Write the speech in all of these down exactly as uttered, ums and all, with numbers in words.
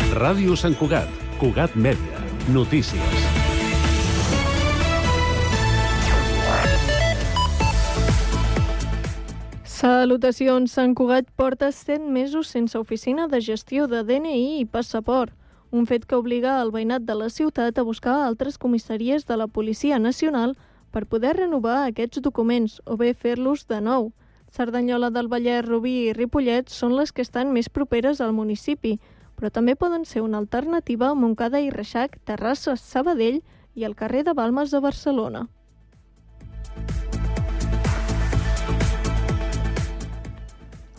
Ràdio Sant Cugat, Cugat Mèdia, notícies. Salutacions, Sant Cugat porta set mesos sense oficina de gestió de D N I i passaport, un fet que obliga el veïnat de la ciutat a buscar altres comissaries de la Policia Nacional per poder renovar aquests documents o bé fer-los de nou. Cerdanyola del Vallès, Rubí i Ripollet són les que estan més properes al municipi, però també poden ser una alternativa a Montcada i Reixac, Terrassa, Sabadell i el carrer de Balmes de Barcelona.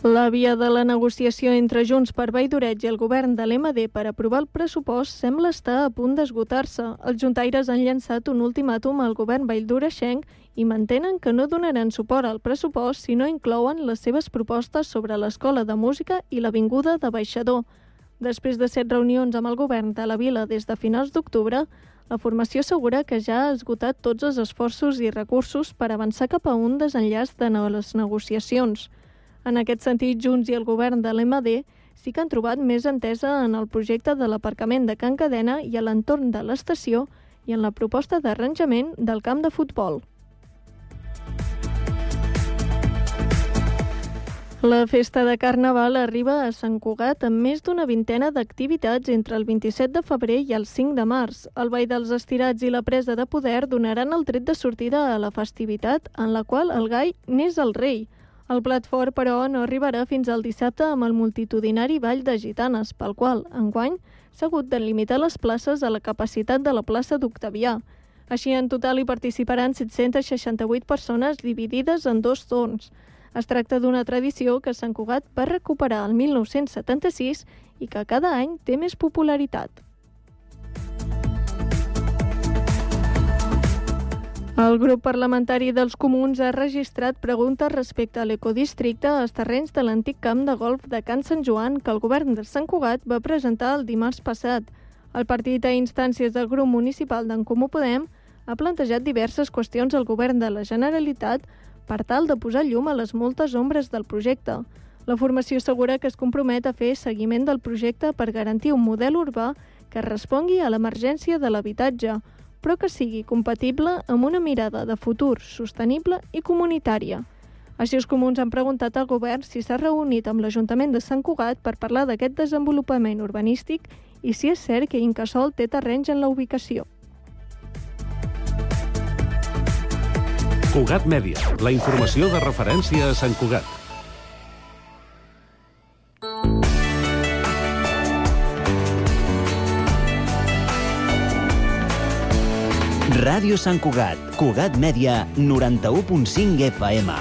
La via de la negociació entre Junts per Vall d'Oreig i el govern de l'M D per aprovar el pressupost sembla estar a punt d'esgotar-se. Els juntaires han llançat un ultimàtum al govern valldoreixenc i mantenen que no donaran suport al pressupost si no inclouen les seves propostes sobre l'Escola de Música i l'Avinguda de Baixador. Després de set reunions amb el govern de la vila des de finals d'octubre, la formació assegura que ja ha esgotat tots els esforços i recursos per avançar cap a un desenllaç de les negociacions. En aquest sentit, Junts i el govern de l'M D sí que han trobat més entesa en el projecte de l'aparcament de Can Cadena i a l'entorn de l'estació i en la proposta d'arranjament del camp de futbol. La festa de Carnaval arriba a Sant Cugat amb més d'una vintena d'activitats entre el vint-i-set de febrer i el cinc de març. El Ball dels Estirats i la Presa de Poder donaran el tret de sortida a la festivitat en la qual el gai n'és el rei. El plat fort, però, no arribarà fins al dissabte amb el multitudinari Ball de Gitanes, pel qual, enguany, s'ha hagut de limitar les places a la capacitat de la plaça d'Octavià. Així, en total hi participaran set-cents seixanta-vuit persones dividides en dos torns. Es tracta d'una tradició que Sant Cugat va recuperar el mil nou-cents setanta-sis i que cada any té més popularitat. El grup parlamentari dels Comuns ha registrat preguntes respecte a l'ecodistricte als terrenys de l'antic camp de golf de Can Sant Joan que el govern de Sant Cugat va presentar el dimarts passat. El partit, a instàncies del grup municipal d'en Comú Podem, ha plantejat diverses qüestions al govern de la Generalitat per tal de posar llum a les moltes ombres del projecte. La formació assegura que es compromet a fer seguiment del projecte per garantir un model urbà que respongui a l'emergència de l'habitatge, però que sigui compatible amb una mirada de futur sostenible i comunitària. Així, els comuns han preguntat al govern si s'ha reunit amb l'Ajuntament de Sant Cugat per parlar d'aquest desenvolupament urbanístic i si és cert que Incasòl té terrenys en la ubicació. Cugat Mèdia, la informació de referència a Sant Cugat. Ràdio Sant Cugat, Cugat Mèdia, noranta-u punt cinc F M.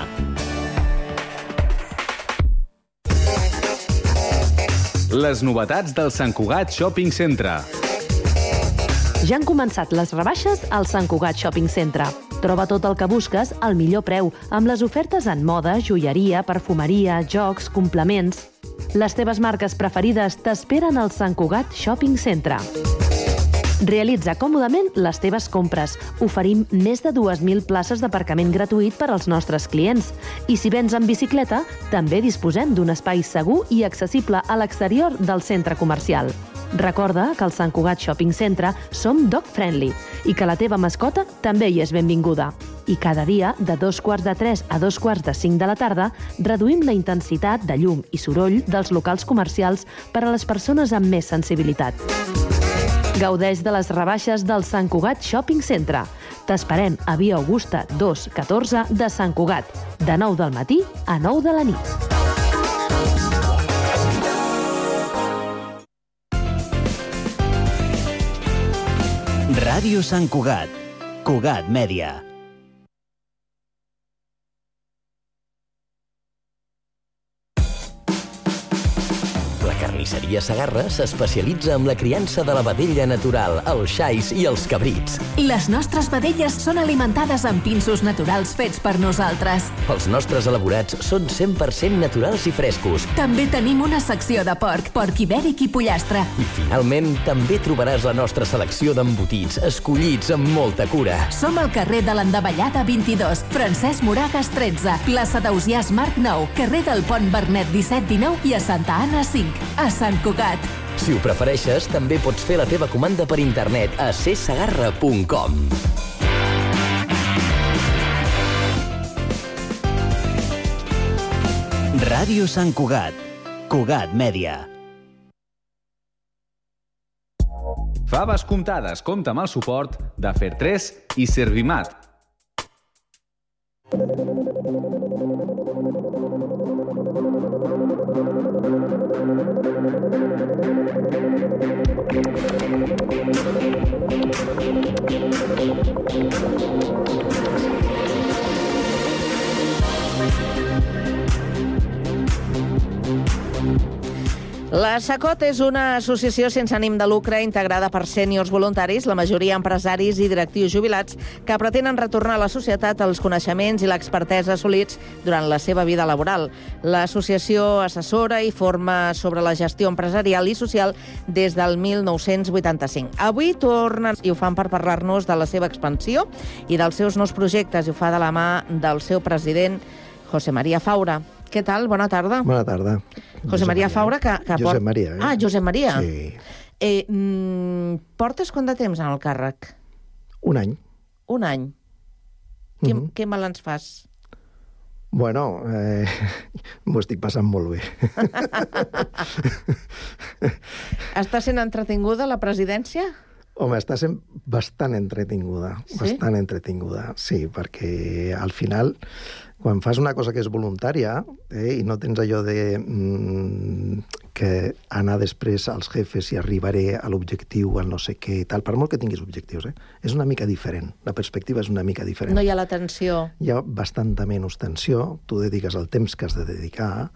Les novetats del Sant Cugat Shopping Centre. Ja han començat les rebaixes al Sant Cugat Shopping Centre. Troba tot el que busques al millor preu, amb les ofertes en moda, joieria, perfumeria, jocs, complements. Les teves marques preferides t'esperen al Sant Cugat Shopping Centre. Realitza còmodament les teves compres. Oferim més de dues mil places d'aparcament gratuït per als nostres clients. I si vens en bicicleta, també disposem d'un espai segur i accessible a l'exterior del centre comercial. Recorda que al Sant Cugat Shopping Centre som dog friendly i que la teva mascota també hi és benvinguda. I cada dia, de dos quarts de tres a dos quarts de cinc de la tarda, reduïm la intensitat de llum i soroll dels locals comercials per a les persones amb més sensibilitat. Gaudeix de les rebaixes del Sant Cugat Shopping Centre. T'esperem a Via Augusta dos catorze de Sant Cugat, de nou del matí a nou de la nit. Ràdio Sant Cugat, Cugat Mèdia. Carnisseria Segarra s'especialitza en la criança de la vedella natural, els xais i els cabrits. Les nostres vedelles són alimentades amb pinsos naturals fets per nosaltres. Els nostres elaborats són cent per cent naturals i frescos. També tenim una secció de porc, porc ibèric i pollastre. I finalment, també trobaràs la nostra selecció d'embotits, escollits amb molta cura. Som al carrer de l'Endavellada vint-i-dos, Francesc Moragas tretze, plaça d'Ausiàs Marc nou, carrer del Pont Vernet disset dinou i a Santa Anna cinc. A Sant Cugat. Si ho prefereixes, també pots fer la teva comanda per internet a c segarra punt com. Ràdio Sant Cugat. Cugat Mèdia. Faves comptades compta amb el suport de Fertres i Servimat. La SACOT és una associació sense ànim de lucre integrada per sèniors voluntaris, la majoria empresaris i directius jubilats, que pretenen retornar a la societat els coneixements i l'expertesa assolits durant la seva vida laboral. L'associació assessora i forma sobre la gestió empresarial i social des del mil nou-cents vuitanta-cinc. Avui tornen i ho fan per parlar-nos de la seva expansió i dels seus nous projectes, i ho fa de la mà del seu president, José María Faura. Què tal? Bona tarda. Bona tarda. José María Faura, que... que Josep port... Maria, eh? Ah, Josep Maria. Sí. Eh, mm, portes quant de temps en el càrrec? Un any. Un any. Què, Mhm. què mal ens fas? Bueno, eh, m'ho estic passant molt bé. Està sent entretinguda la presidència? Home, està sent bastant entretinguda. Sí? Bastant entretinguda, sí, perquè al final, quan fas una cosa que és voluntària eh, i no tens allò de mm, que anar després als jefes i arribaré a l'objectiu, al no sé què i tal, per molt que tinguis objectius, eh, és una mica diferent. La perspectiva és una mica diferent. No hi ha la tensió. Hi ha bastanta menys tensió, tu dediques el temps que has de dedicar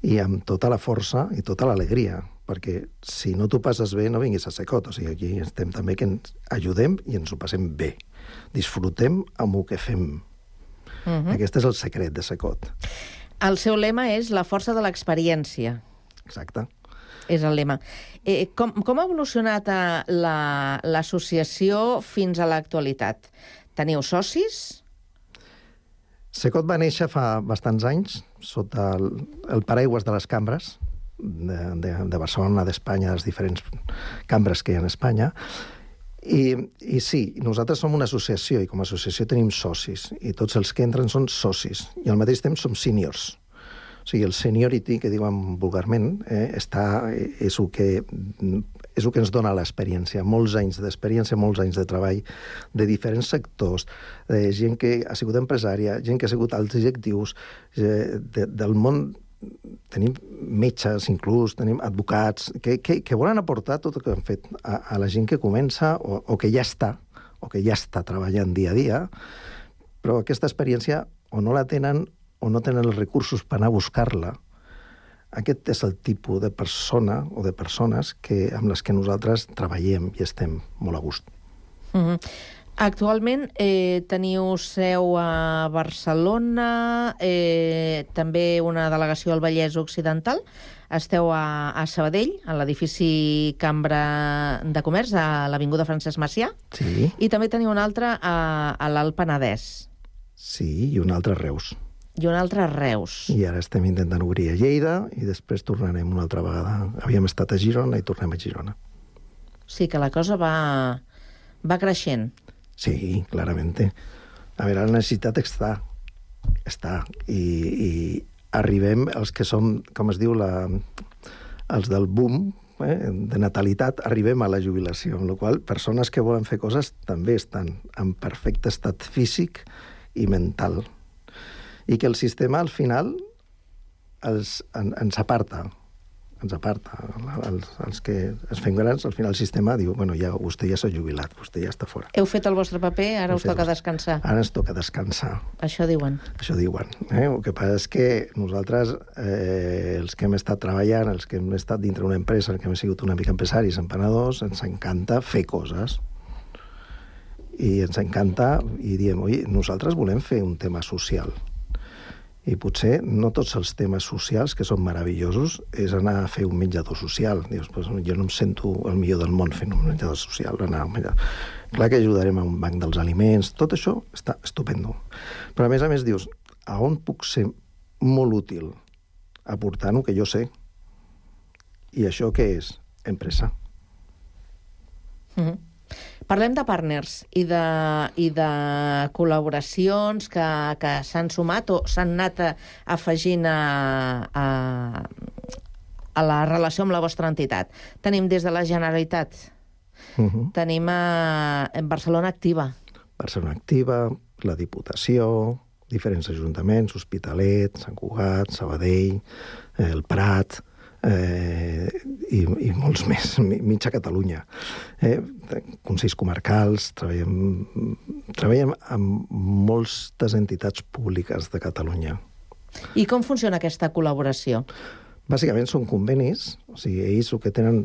i amb tota la força i tota l'alegria, perquè si no t'ho passes bé no vinguis a Secot, o sigui, aquí estem també que ens ajudem i ens ho passem bé. Disfrutem amb el que fem. Uh-huh. Aquest és el secret de Secot. El seu lema és la força de l'experiència. Exacte. És el lema. Eh, com, com ha evolucionat eh, la- l'associació fins a l'actualitat? Teniu socis? Secot va néixer fa bastants anys sota el, el paraigües de les cambres de, de, de Barcelona, d'Espanya, de les diferents cambres que hi ha a Espanya. I, I sí, nosaltres som una associació i com a associació tenim socis i tots els que entren són socis i al mateix temps som seniors. O sigui, el seniority, que diuen vulgarment, eh, està, és, el que, és el que ens dona l'experiència. Molts anys d'experiència, molts anys de treball de diferents sectors, de gent que ha sigut empresària, gent que ha sigut alts directius, eh, de, del món. Tenim metges, inclús, tenim advocats, que, que, que volen aportar tot el que han fet a, a la gent que comença o, o que ja està, o que ja està treballant dia a dia, però aquesta experiència o no la tenen o no tenen els recursos per anar a buscar-la. Aquest és el tipus de persona o de persones que, amb les que nosaltres treballem i estem molt a gust. Uh-huh. Actualment eh, teniu seu a Barcelona, eh, també una delegació al Vallès Occidental. Esteu a, a Sabadell, a l'edifici Cambra de Comerç, a l'Avinguda Francesc Macià. Sí. I també teniu un altre a, a l'Alt Penedès. Sí, i un altre a Reus. I un altre a Reus. I ara estem intentant obrir a Lleida i després tornarem una altra vegada. Havíem estat a Girona i tornem a Girona. Sí que la cosa va, va creixent. Sí, clarament. A veure, la necessitat està. Està. I, i arribem, els que som, com es diu, la, els del boom, eh, de natalitat, arribem a la jubilació, amb la qual cosa persones que volen fer coses també estan en perfecte estat físic i mental. I que el sistema, al final, els, en, ens aparta. Ens aparta. Els, els que es fem grans, al final el sistema diu, bueno, ja, vostè ja s'ha jubilat, vostè ja està fora. Heu fet el vostre paper, ara Hem us fet toca el- descansar. Ara ens toca descansar. Això diuen. Això diuen. Eh? El que passa és que nosaltres, eh, els que hem estat treballant, els que hem estat dintre una empresa, els que hem sigut una mica empresaris, empanadors, ens encanta fer coses. I ens encanta, i diem, oi, nosaltres volem fer un tema social. I potser no tots els temes socials, que són meravellosos, és anar a fer un menjador social. Dius, pues, jo no em sento el millor del món fent un menjador social. Anar a un menjador. Clar que ajudarem a un banc dels aliments, tot això està estupendo. Però a més a més dius, a on puc ser molt útil aportant el que jo sé? I això què és? empresa. Mm-hmm. Parlem de partners i de, i de col·laboracions que, que s'han sumat o s'han anat afegint a, a, a la relació amb la vostra entitat. Tenim des de la Generalitat, uh-huh. tenim a, a Barcelona Activa. Barcelona Activa, la Diputació, diferents ajuntaments, Hospitalet, Sant Cugat, Sabadell, el Prat, eh, i, i molts més, mitja Catalunya. Eh, consells comarcals, treballem, treballem amb moltes entitats públiques de Catalunya. I com funciona aquesta col·laboració? Bàsicament són convenis, o sigui, ells el que tenen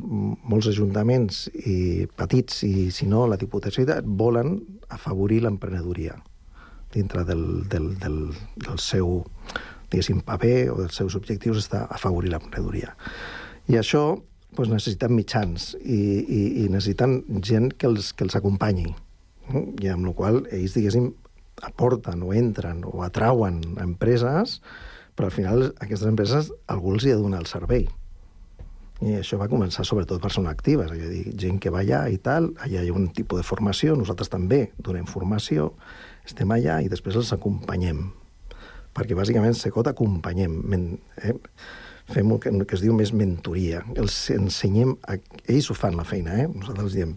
molts ajuntaments i petits, i si no, la Diputació volen afavorir l'emprenedoria dintre del, del, del, del seu, diguéssim, paper o dels seus objectius està afavorir l'emprenedoria. I això doncs, necessiten mitjans i, i, i necessiten gent que els, que els acompanyi. I amb la qual ells, diguéssim, aporten o entren o atrauen empreses, però al final aquestes empreses algú els hi ha de donar el servei. I això va començar sobretot persones actives, és a dir, gent que va allà i tal, allà hi ha un tipus de formació, nosaltres també donem formació, estem allà i després els acompanyem. Perquè bàsicament Secot acompanyem, eh? Fem el que, el que es diu més mentoria. Els ensenyem, a... ells ho fan la feina, eh? Nosaltres els diem,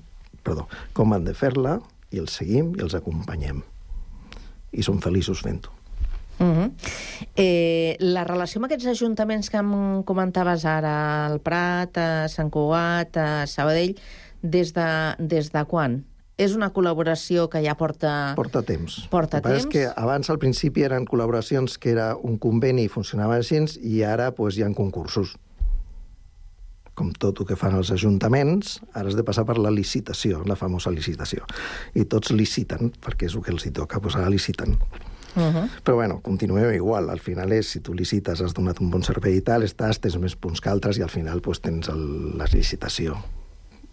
perdó, com han de fer-la, i els seguim i els acompanyem. I som feliços fent-ho. Uh-huh. eh, la relació amb aquests ajuntaments que em comentaves ara, el Prat, a Sant Cugat, a Sabadell, des de, des de quan? És una col·laboració que ja porta... Porta temps. Porta temps. És que abans, al principi, eren col·laboracions que era un conveni i funcionava així, i ara pues, hi ha concursos. Com tot el que fan els ajuntaments, ara has de passar per la licitació, la famosa licitació. I tots liciten, perquè és el que els hi toca, doncs ara liciten. Uh-huh. Però bueno, continuem igual. Al final és, si tu licites, has donat un bon servei i tal, estàs, tens més punts que altres i al final pues, tens el, la licitació.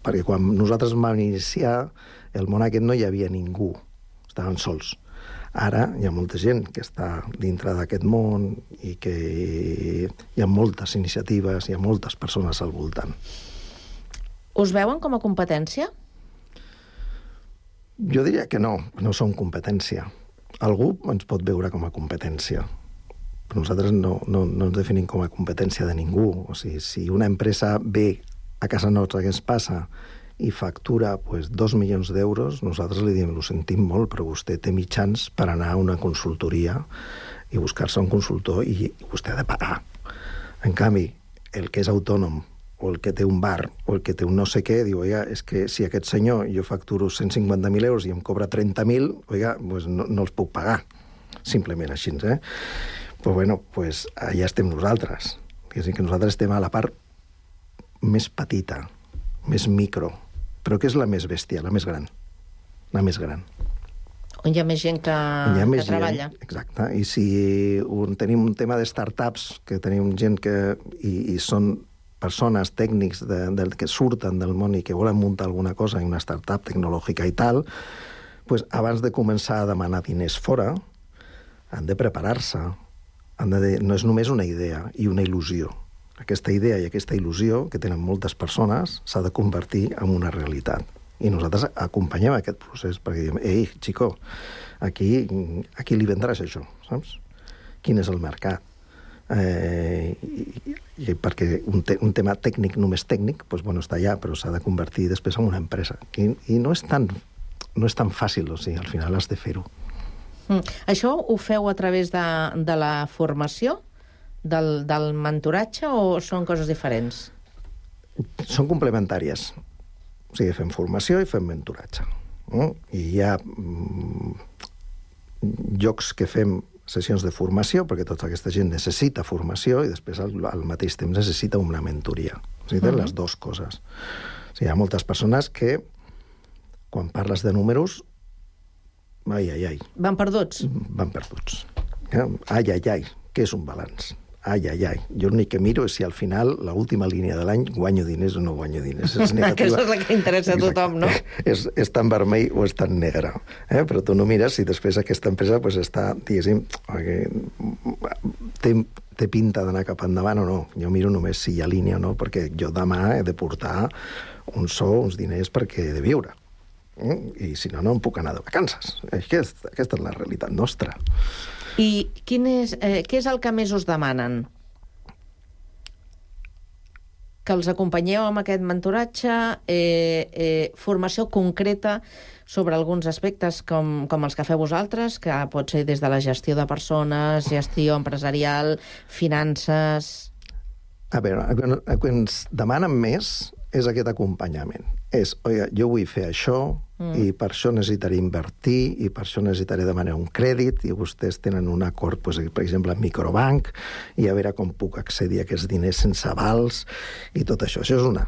Perquè quan nosaltres vam iniciar, el món aquest no hi havia ningú, estaven sols. Ara hi ha molta gent que està dintre d'aquest món i que hi ha moltes iniciatives, hi ha moltes persones al voltant. Us veuen com a competència? Jo diria que no, no som competència. Algú ens pot veure com a competència, però nosaltres no, no, no ens definim com a competència de ningú. O sigui, si una empresa ve a casa nostra que ens passa i factura pues, dos milions d'euros, nosaltres li diem, ho sentim molt, però vostè té mitjans per anar a una consultoria i buscar-se un consultor i vostè ha de pagar. En canvi, el que és autònom o el que té un bar o el que té un no sé què, diu, oiga, és que si aquest senyor jo facturo cent cinquanta mil euros i em cobra trenta mil, oiga, pues no, no els puc pagar. Simplement així, eh? Pues bueno, pues allà estem nosaltres. És a dir, que nosaltres estem a la part més petita, més micro, però que és la més bèstia, la més gran. La més gran. On hi ha més gent que, ha que més treballa. Gent, exacte. I si un, tenim un tema de startups, que tenim gent que... i, i són persones tècnics de, de, que surten del món i que volen muntar alguna cosa en una startup tecnològica i tal, pues, abans de començar a demanar diners fora, han de preparar-se. Han de, no és només una idea i una il·lusió. Aquesta idea i aquesta il·lusió que tenen moltes persones s'ha de convertir en una realitat. I nosaltres acompanyem aquest procés perquè diem, ei, xico, aquí, aquí li vendràs això, saps? Quin és el mercat? Eh, i, i perquè un, te, un tema tècnic, només tècnic, doncs, bueno, està allà, però s'ha de convertir després en una empresa. I, i no, és tan, no és tan fàcil, o sigui, al final has de fer-ho. Mm. Això ho feu a través de, de la formació, del, del mentoratge, o són coses diferents? Són complementàries. O sigui, fem formació i fem mentoratge. No? I hi ha mm, llocs que fem sessions de formació, perquè tota aquesta gent necessita formació i després al, al mateix temps necessita una mentoria. O sigui, tenen uh-huh. les dues coses. O sigui, hi ha moltes persones que, quan parles de números, ai, ai, ai. Van perduts? Van perduts. Ai, ai, ai, què és un balanç? Ai, ai, ai. Jo l'únic que miro és si al final, l'última línia de l'any, guanyo diners o no guanyo diners. És negativa. Aquesta és la que interessa a tothom, no? És, és tan vermell o és tan negre. Eh? Però tu no mires si després aquesta empresa pues, està, diguéssim, té, té pinta d'anar cap endavant o no. Jo miro només si hi ha línia o no, perquè jo demà he de portar un sou, uns diners perquè he de viure. I si no, no em puc anar de vacances. Aquesta, aquesta és la realitat nostra. I quin és, eh, què és el que més us demanen? Que els acompanyeu amb aquest mentoratge, eh, eh, formació concreta sobre alguns aspectes com, com els que feu vosaltres, que pot ser des de la gestió de persones, gestió empresarial, finances... A veure, el que ens demanen més és aquest acompanyament. És, oiga, jo vull fer això, mm. i per això necessitaré invertir, i per això necessitaré demanar un crèdit, i vostès tenen un acord, doncs, per exemple, amb Microbank, i a veure com puc accedir a aquests diners sense avals, i tot això. Això és una.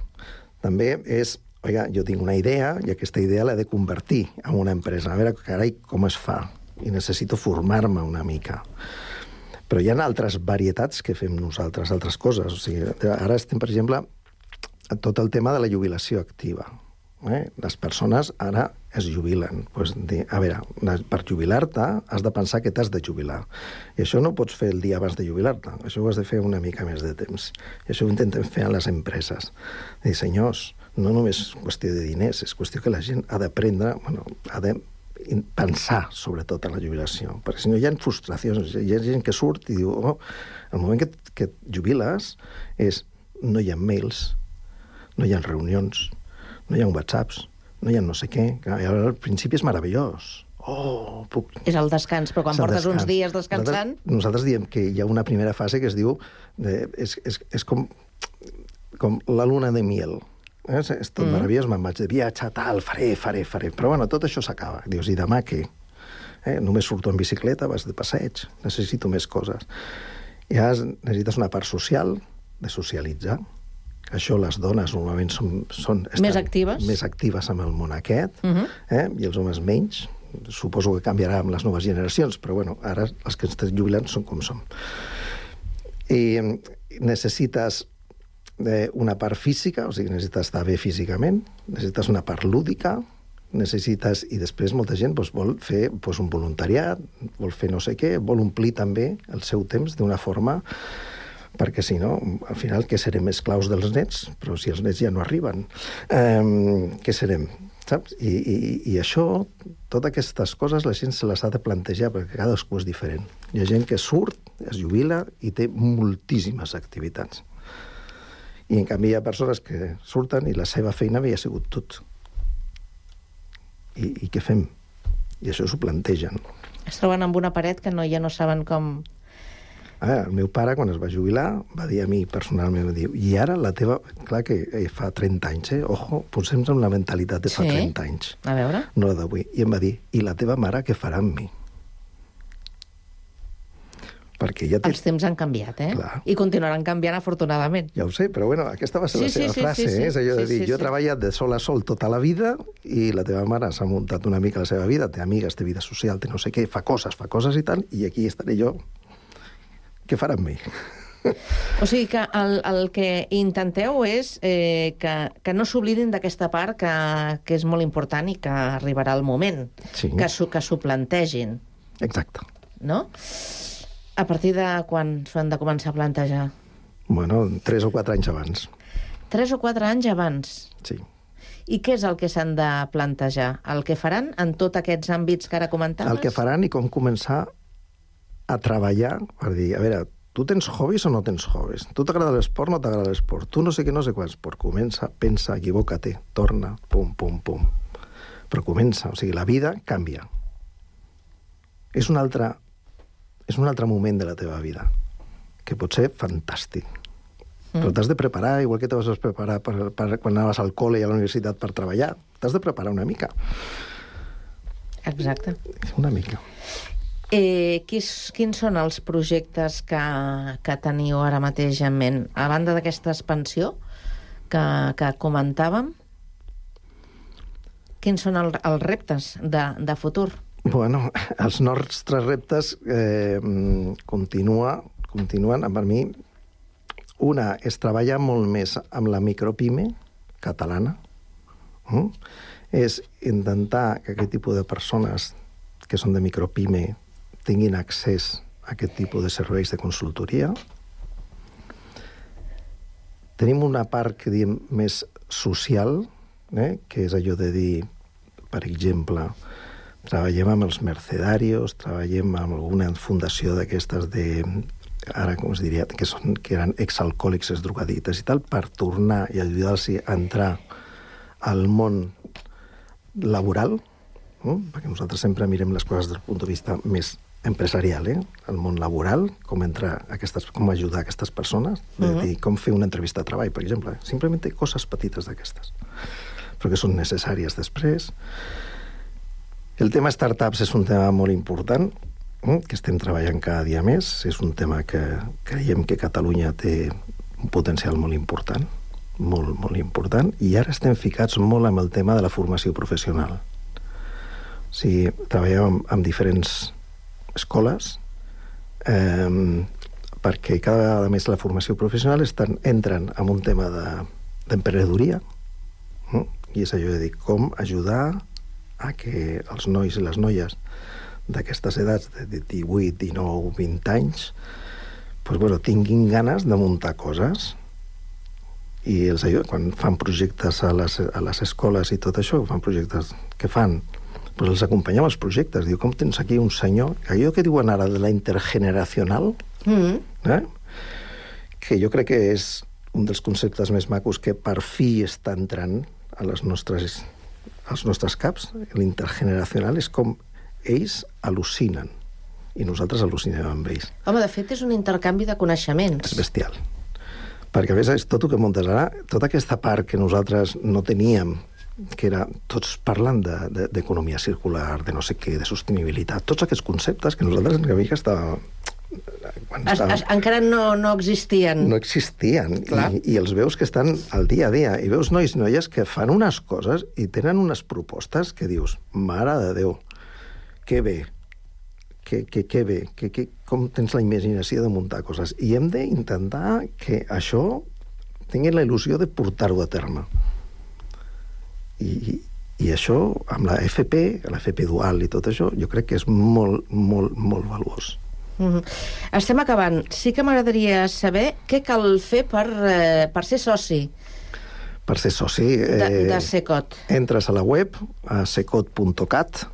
També és, oiga, jo tinc una idea, i aquesta idea l'he de convertir en una empresa. A veure, carai, com es fa? I necessito formar-me una mica. Però hi ha altres varietats que fem nosaltres, altres coses. O sigui, ara estem, per exemple, a tot el tema de la jubilació activa. Eh? Les persones ara es jubilen. Pues, a veure, per jubilar-te has de pensar que t'has de jubilar. I això no ho pots fer el dia abans de jubilar-te. Això ho has de fer una mica més de temps. I això ho intentem fer a les empreses. Dir, senyors, no només és qüestió de diners, és qüestió que la gent ha d'aprendre, bueno, ha de pensar sobretot en la jubilació, perquè si no hi ha frustracions, hi ha gent que surt i diu, oh, el moment que, que et jubiles és, no hi ha mails, no hi ha reunions, no hi ha whatsapps, no hi ha no sé què, al principi és meravellós. Oh, puc... És el descans, però quan portes descans. Uns dies descansant... Nosaltres, nosaltres diem que hi ha una primera fase que es diu, eh, és, és, és com, com la luna de miel. Eh? És tot mm. meravellós, me'n vaig de viatge, tal, faré, faré, faré. Però bueno, tot això s'acaba. Dius, i demà què? Eh? Només surto en bicicleta, vas de passeig, necessito més coses. I ara necessites una part social, de socialitzar. Això les dones normalment són... són més actives? Més actives amb el món aquest, mm-hmm. eh? I els homes menys. Suposo que canviarà amb les noves generacions, però bueno, ara els que estem jubilant són com som. I necessites una part física, o sigui, necessites estar bé físicament, necessites una part lúdica, necessites, i després molta gent doncs, vol fer doncs, un voluntariat, vol fer no sé què, vol omplir també el seu temps d'una forma, perquè si no, al final, què serem esclaus dels nets? Però si els nets ja no arriben, eh, què serem? Saps? I, i, i això, totes aquestes coses, la gent se les ha de plantejar, perquè cadascú és diferent. Hi ha gent que surt, es jubila i té moltíssimes activitats. I, en canvi, hi ha persones que surten i la seva feina havia sigut tot. I, i què fem? I això s'ho plantegen. Es troben amb una paret que no, ja no saben com... Ah, el meu pare, quan es va jubilar, va dir a mi personalment, va dir, i ara la teva... Clar que fa trenta anys, eh? Ojo, posem-nos amb la mentalitat de fa sí? trenta anys. A veure. No la d'avui. I em va dir, i la teva mare què farà amb mi? Perquè ja té... Els temps han canviat, eh? Clar. I continuaran canviant, afortunadament. Ja ho sé, però bueno, aquesta va ser sí, la seva sí, frase, sí, sí, eh? És allò de sí, dir, sí, jo he sí. treballat de sol a sol tota la vida i la teva mare s'ha muntat una mica la seva vida, té amigues, té vida social, té no sé què, fa coses, fa coses i tal, i aquí estaré jo. Què farà amb mi? O sigui que el, el que intenteu és eh, que, que no s'oblidin d'aquesta part que, que és molt important i que arribarà el moment, sí. que s'ho plantegin. Exacte. No? A partir de quan s'ho han de començar a plantejar? Bueno, tres o quatre anys abans. Tres o quatre anys abans? Sí. I què és el que s'han de plantejar? El que faran en tots aquests àmbits que ara comentaves? El que faran i com començar a treballar per dir, a veure, tu tens hobbies o no tens hobbies? Tu t'agrada l'esport o no t'agrada l'esport? Tu no sé què, no sé quants. Però comença, pensa, equivoca-te, torna, pum, pum, pum. Però comença, o sigui, la vida canvia. És un altre, és un altre moment de la teva vida, que pot ser fantàstic. Mm. Però t'has de preparar, igual que te vas preparar per, per, quan anaves al col·le i a la universitat per treballar. T'has de preparar una mica. Exacte. Una mica. Eh, quins, quins són els projectes que, que teniu ara mateix en ment? A banda d'aquesta expansió que, que comentàvem, quins són el, els reptes de, de futur? Bueno, els nostres reptes eh, continua, continuen, per mi, una és treballar molt més amb la micropime catalana, mm? és intentar que aquest tipus de persones que són de micropime tinguin accés a aquest tipus de serveis de consultoria, Tenim una part que diem més social, eh? que és allò de dir, per exemple, treballem amb els mercedarios, treballem amb alguna fundació d'aquestes de, ara com es diria, que, són, que eren exalcohòlics, exdrogadictes i tal, per tornar i ajudar-los a entrar al món laboral, no? Perquè nosaltres sempre mirem les coses des del punt de vista més empresarial, eh? El món laboral, com entrar aquestes, com ajudar aquestes persones, de uh-huh. dir, com fer una entrevista de treball, per exemple. Simplement coses petites d'aquestes, però que són necessàries després. El tema startups és un tema molt important, eh? que estem treballant cada dia més. És un tema que creiem que Catalunya té un potencial molt important, molt, molt important, i ara estem ficats molt amb el tema de la formació professional. O sigui, treballem amb, amb diferents escoles, eh, perquè cada vegada més la formació professional estan, entren en un tema d'emprenedoria, de, eh? i és allò de dir com ajudar a que els nois i les noies d'aquestes edats de divuit, dinou, vint anys pues, bueno, tinguin ganes de muntar coses, i els ajuda, quan fan projectes a les, a les escoles i tot això, fan projectes que fan, pues els acompanyem als projectes. Diu, com tens aquí un senyor, allò que diuen ara de la intergeneracional, mm-hmm. eh? que jo crec que és un dels conceptes més macos que per fi està entrant a les nostres, als nostres caps. L'intergeneracional és com ells al·lucinen, i nosaltres al·lucinem amb ells. Home, de fet, és un intercanvi de coneixements. És bestial. Perquè, a més, és tot el que muntes ara, tota aquesta part que nosaltres no teníem, que era, tots parlant d'economia de, circular, de no sé què, de sostenibilitat, tots aquests conceptes que nosaltres una mica estava... Quan es, estava... Es, encara no, no existien. No existien, i, i els veus que estan al dia a dia, i veus nois i noies que fan unes coses i tenen unes propostes que dius, mare de Déu, que bé, que, que, que bé, que, que, com tens la imaginació de muntar coses. I hem d'intentar que això tingui la il·lusió de portar-ho a terme. I, i això, amb la F P, la F P dual i tot això, jo crec que és molt, molt, molt valuós. Mm-hmm. Estem acabant. Sí que m'agradaria saber què cal fer per, eh, per ser soci. Per ser soci... Eh, de, de Secot. Entres a la web, a secot punt cat,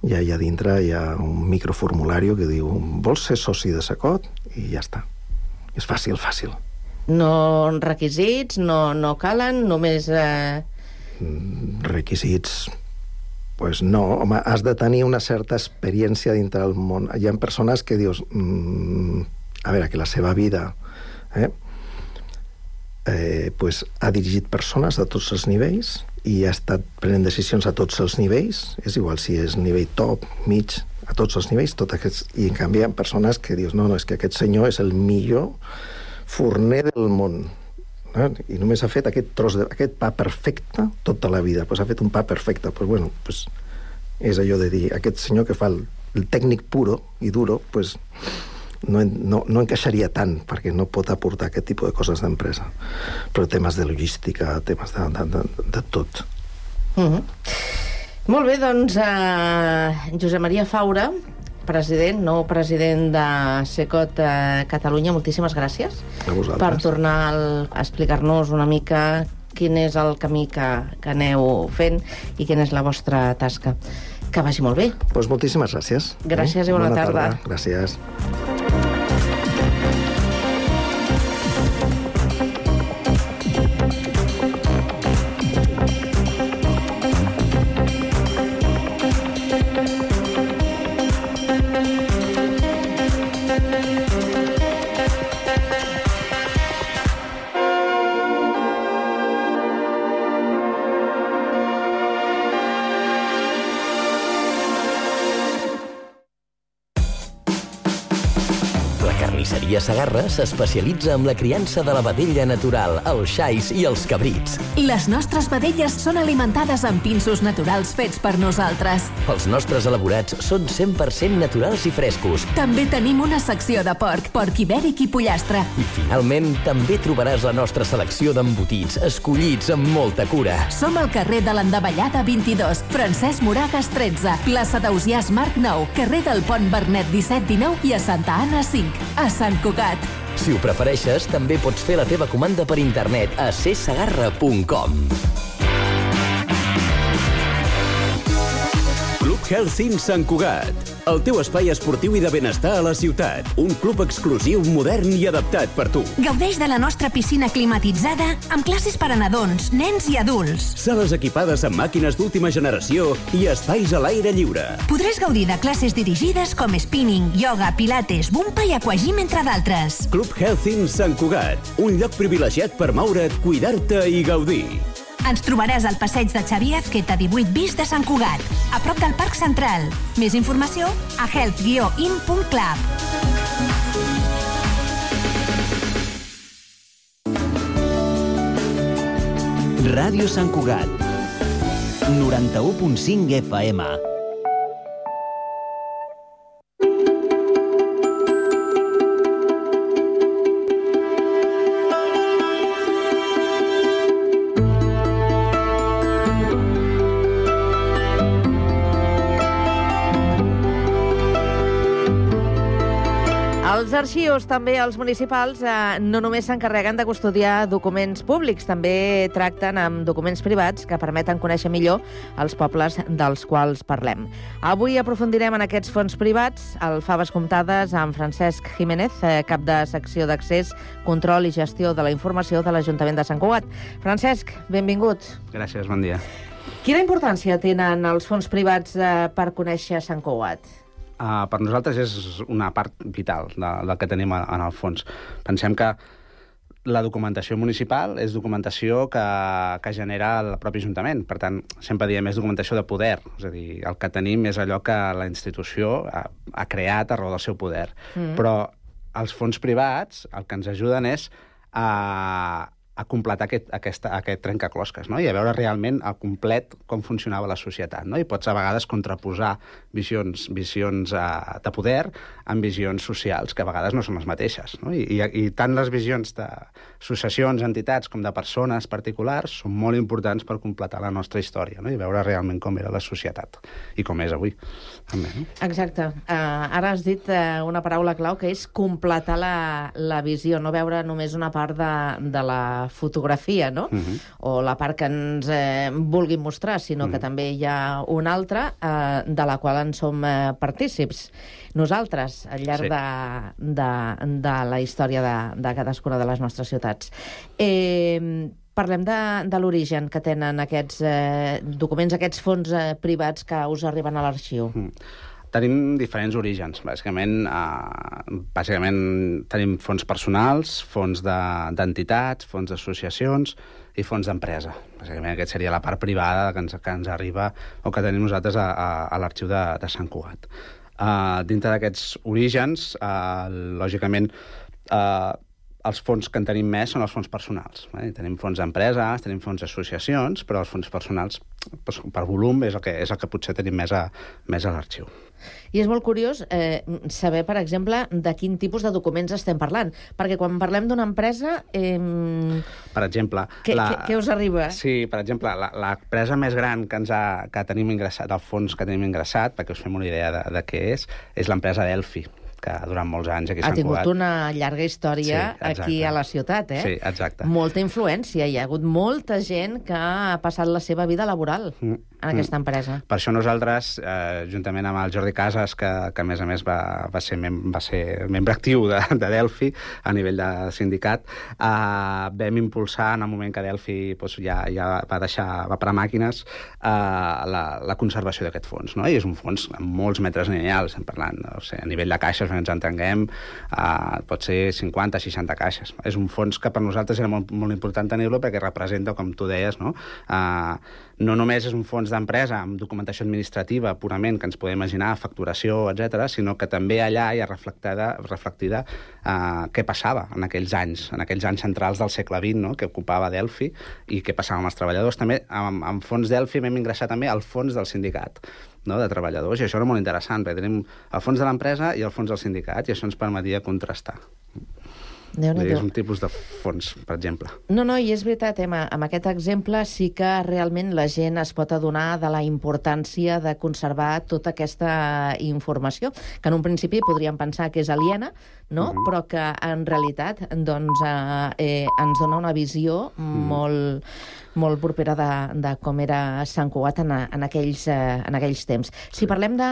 i allà dintre hi ha un microformulari que diu vols ser soci de Secot? I ja està. És fàcil, fàcil. No requisits, no, no calen, només... Eh... requisits, pues no, home, has de tenir una certa experiència dintre del món. Hi ha persones que dius, mmm, a veure, que la seva vida eh, eh, pues, ha dirigit persones de tots els nivells i ha estat prenent decisions a tots els nivells, és igual si és nivell top, mig, a tots els nivells, tot aquests, i en canvi hi ha persones que dius, no, no, és que aquest senyor és el millor forner del món. I només ha fet aquest tros de, aquest pa perfecte tota la vida, pues ha fet un pa perfecte, pues bueno, pues és allò de dir, aquest senyor que fa el, el tècnic puro i duro, pues no, no, no encaixaria tant, perquè no pot aportar aquest tipus de coses d'empresa, però temes de logística, temes de, de, de, de tot. Mm-hmm. Molt bé, doncs uh, Josep Maria Faura, president, nou president de Secot eh, Catalunya, moltíssimes gràcies per tornar al, a explicar-nos una mica quin és el camí que, que aneu fent i quina és la vostra tasca. Que vagi molt bé. Pues moltíssimes gràcies. Gràcies eh? i bona, bona tarda. tarda. Gràcies. Carnisseria Segarra s'especialitza en la criança de la vedella natural, els xais i els cabrits. Les nostres vedelles són alimentades amb pinsos naturals fets per nosaltres. Els nostres elaborats són cent per cent naturals i frescos. També tenim una secció de porc, porc ibèric i pollastre. I finalment també trobaràs la nostra selecció d'embotits, escollits amb molta cura. Som al carrer de l'Endavellada vint-i-dos, Francesc Moragas tretze, plaça d'Ausiàs Marc nou, carrer del Pont Vernet disset dinou i a Santa Anna cinc. A Sant Cugat. Si ho prefereixes, també pots fer la teva comanda per internet a c sagarra punt com. Club Healthing Sant Cugat. El teu espai esportiu i de benestar a la ciutat. Un club exclusiu, modern i adaptat per tu. Gaudeix de la nostra piscina climatitzada amb classes per a nadons, nens i adults. Sales equipades amb màquines d'última generació i espais a l'aire lliure. Podràs gaudir de classes dirigides com spinning, yoga, pilates, bumpa i aquagym, entre d'altres. Club Healthing Sant Cugat. Un lloc privilegiat per moure't, cuidar-te i gaudir. Ens trobaràs al passeig de Xavier Azqueta divuit bis de Sant Cugat, a prop del Parc Central. Més informació a health guió in punt club. Ràdio Sant Cugat, noranta-u punt cinc F M. Els arxius, també els municipals, eh, no només s'encarreguen de custodiar documents públics, també tracten amb documents privats que permeten conèixer millor els pobles dels quals parlem. Avui aprofundirem en aquests fons privats, al Faves Comptades, amb Francesc Jiménez, eh, cap de secció d'accés, control i gestió de la informació de l'Ajuntament de Sant Cugat. Francesc, benvingut. Gràcies, bon dia. Quina importància tenen els fons privats eh, per conèixer Sant Cugat? Uh, per nosaltres és una part vital de, del que tenim en el fons. Pensem que la documentació municipal és documentació que, que genera el propi Ajuntament. Per tant, sempre diem és documentació de poder. És a dir, el que tenim és allò que la institució ha, ha creat a raó del seu poder. Mm. Però els fons privats el que ens ajuden és a... a completar aquest, aquesta, aquest trencaclosques, no? I a veure realment al complet com funcionava la societat, no? I pots a vegades contraposar visions, visions uh, de poder amb visions socials, que a vegades no són les mateixes, no? I, i, i tant les visions d'associacions, entitats, com de persones particulars són molt importants per completar la nostra història, no? I veure realment com era la societat i com és avui. També, no? Exacte. Uh, ara has dit uh, una paraula clau, que és completar la, la visió, no veure només una part de, de la fotografia, no? Uh-huh. O la part que ens eh, vulguin mostrar, sinó uh-huh. que també hi ha una altra eh, de la qual en som eh, partícips. Nosaltres, al llarg sí. de, de, de la història de, de cadascuna de les nostres ciutats. Eh, parlem de, de l'origen que tenen aquests eh, documents, aquests fons eh, privats que us arriben a l'arxiu. Uh-huh. Tenim diferents orígens. Bàsicament, eh, bàsicament tenim fons personals, fons d'entitats, de, fons d'associacions i fons d'empresa. Bàsicament aquesta seria la part privada que ens, que ens arriba o que tenim nosaltres a, a, a l'arxiu de, de Sant Cugat. Uh, dintre d'aquests orígens, uh, lògicament, uh, els fons que en tenim més són els fons personals. Eh? Tenim fons d'empreses, tenim fons d'associacions, però els fons personals, doncs, per volum, és el que, és el que potser tenim més a, més a l'arxiu. I és molt curiós eh, saber, per exemple, de quin tipus de documents estem parlant. Perquè quan parlem d'una empresa... Eh, per exemple... Què, la... què, què us arriba? Sí, per exemple, l'empresa més gran que, ens ha, que tenim ingressat, el fons que tenim ingressat, perquè us fem una idea de, de què és, és l'empresa Delphi, que durant molts anys aquí a Sant Cugat... Ha tingut una llarga història sí, aquí a la ciutat, eh? Sí, exacte. Molta influència. Hi ha hagut molta gent que ha passat la seva vida laboral mm. en aquesta empresa. Per això nosaltres, eh, juntament amb el Jordi Casas, que, que a més a més va, va, ser, mem va ser membre actiu de, de Delphi a nivell de sindicat, eh, vam impulsar en el moment que Delphi doncs, ja, ja va deixar, va parar màquines, eh, la, la conservació d'aquest fons, no? I és un fons amb molts metres lineals, estem parlant, no sé, a nivell de caixes, ens entenguem, uh, pot ser cinquanta seixanta caixes. És un fons que per nosaltres era molt, molt important tenir-lo perquè representa, com tu deies, no? Uh, no només és un fons d'empresa amb documentació administrativa purament que ens podem imaginar, facturació, etcètera, sinó que també allà hi ha reflectida, reflectida uh, què passava en aquells anys, en aquells anys centrals del segle vint, no? Que ocupava Delphi i què passava amb els treballadors. També amb, amb fons Delphi vam ingressar també al fons del sindicat, no? De treballadors, i això era molt interessant, perquè tenim el fons de l'empresa i el fons del sindicat, i això ens permetia contrastar. És un tipus de fons, per exemple. No, no, i és veritat, Emma, amb aquest exemple sí que realment la gent es pot adonar de la importància de conservar tota aquesta informació, que en un principi podríem pensar que és aliena, no? Uh-huh. Però que en realitat doncs, eh, ens dona una visió uh-huh. molt, molt propera de, de com era Sant Cugat en, en, aquells, eh, en aquells temps. Si parlem de,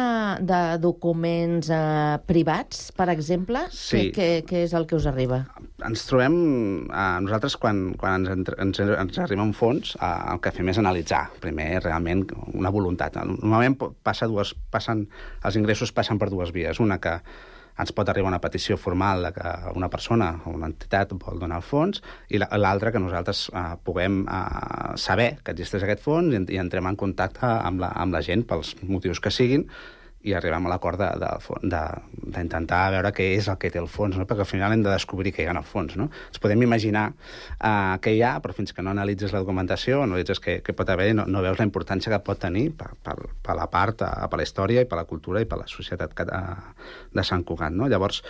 de documents eh, privats, per exemple, sí. què, què és el que us arriba? Ens trobem, eh, nosaltres quan, quan ens, ens, ens arriba un fons, eh, el que fem és analitzar primer realment una voluntat. Normalment passa dues, passen, els ingressos passen per dues vies. Una que ens pot arribar una petició formal de que una persona o una entitat vol donar el fons, i l'altra que nosaltres eh, puguem eh, saber que existeix aquest fons i, i entrem en contacte amb la, amb la gent pels motius que siguin, i arribem a l'acord d'intentar veure què és el que té el fons, no? Perquè al final hem de descobrir què hi ha en el fons. No? Ens podem imaginar uh, què hi ha, però fins que no analitzes la documentació, analitzes què, què pot haver, no, no veus la importància que pot tenir per, per, per la part, per la història i per la cultura i per la societat que, uh, de Sant Cugat. No? Llavors,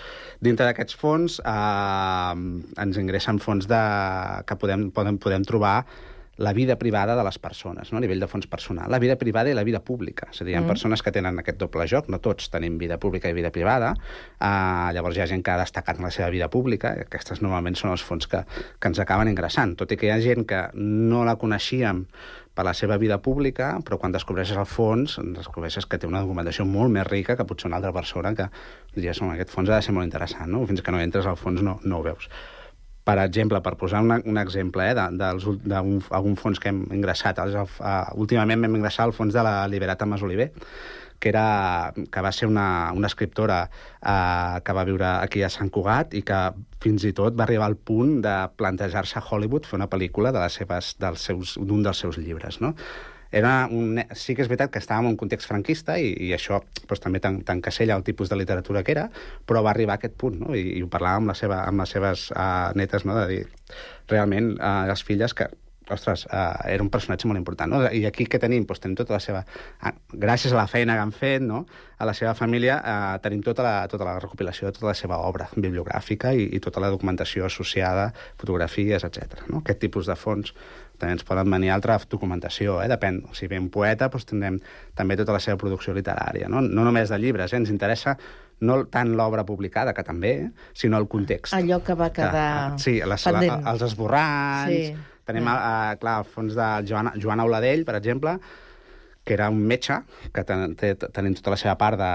dintre d'aquests fons, uh, ens ingressen fons de, que podem, podem, podem trobar la vida privada de les persones, no? A nivell de fons personal. La vida privada i la vida pública. És a dir, hi ha mm. persones que tenen aquest doble joc, no tots tenim vida pública i vida privada, uh, llavors hi ha gent que ha destacat en la seva vida pública, i aquestes normalment són els fons que, que ens acaben ingressant, tot i que hi ha gent que no la coneixíem per la seva vida pública, però quan descobreixes el fons, descobreixes que té una documentació molt més rica que potser una altra persona que diries, oh, aquest fons ha de ser molt interessant, no? Fins que no entres al fons no, no ho veus. Per exemple, per posar una, un exemple eh, d'algun fons que hem ingressat, uh, últimament vam ingressar el fons de la Liberata Masoliver, que, era, que va ser una, una escriptora uh, que va viure aquí a Sant Cugat i que fins i tot va arribar al punt de plantejar-se a Hollywood fer una pel·lícula de les seves, dels seus, d'un dels seus llibres, no? Era un, sí que és veritat que estàvem en un context franquista i, i això doncs, també t'encasella el tipus de literatura que era, però va arribar a aquest punt, no? I, i ho parlàvem amb, la seva, amb les seves uh, netes, no? De dir, realment, uh, les filles que, ostres, uh, era un personatge molt important, no? I aquí què tenim? Doncs tenim tota la seva... Uh, gràcies a la feina que han fet, no? A la seva família, uh, tenim tota la, tota la recopilació de tota la seva obra bibliogràfica i, i tota la documentació associada, fotografies, etcètera. No? Aquest tipus de fons també ens poden venir altra documentació, eh? Depèn. Si ve un poeta, doncs tindrem també tota la seva producció literària, no, no només de llibres, eh? Ens interessa no tant l'obra publicada, que també, eh? Sinó el context. Allò que va quedar que, sí, les, pendent. La, els esborrans... Sí. Tenim, ja. eh, clar, el fons de Joan, Joan Auladell, per exemple, que era un metge, que ten, té, tenim tota la seva part de...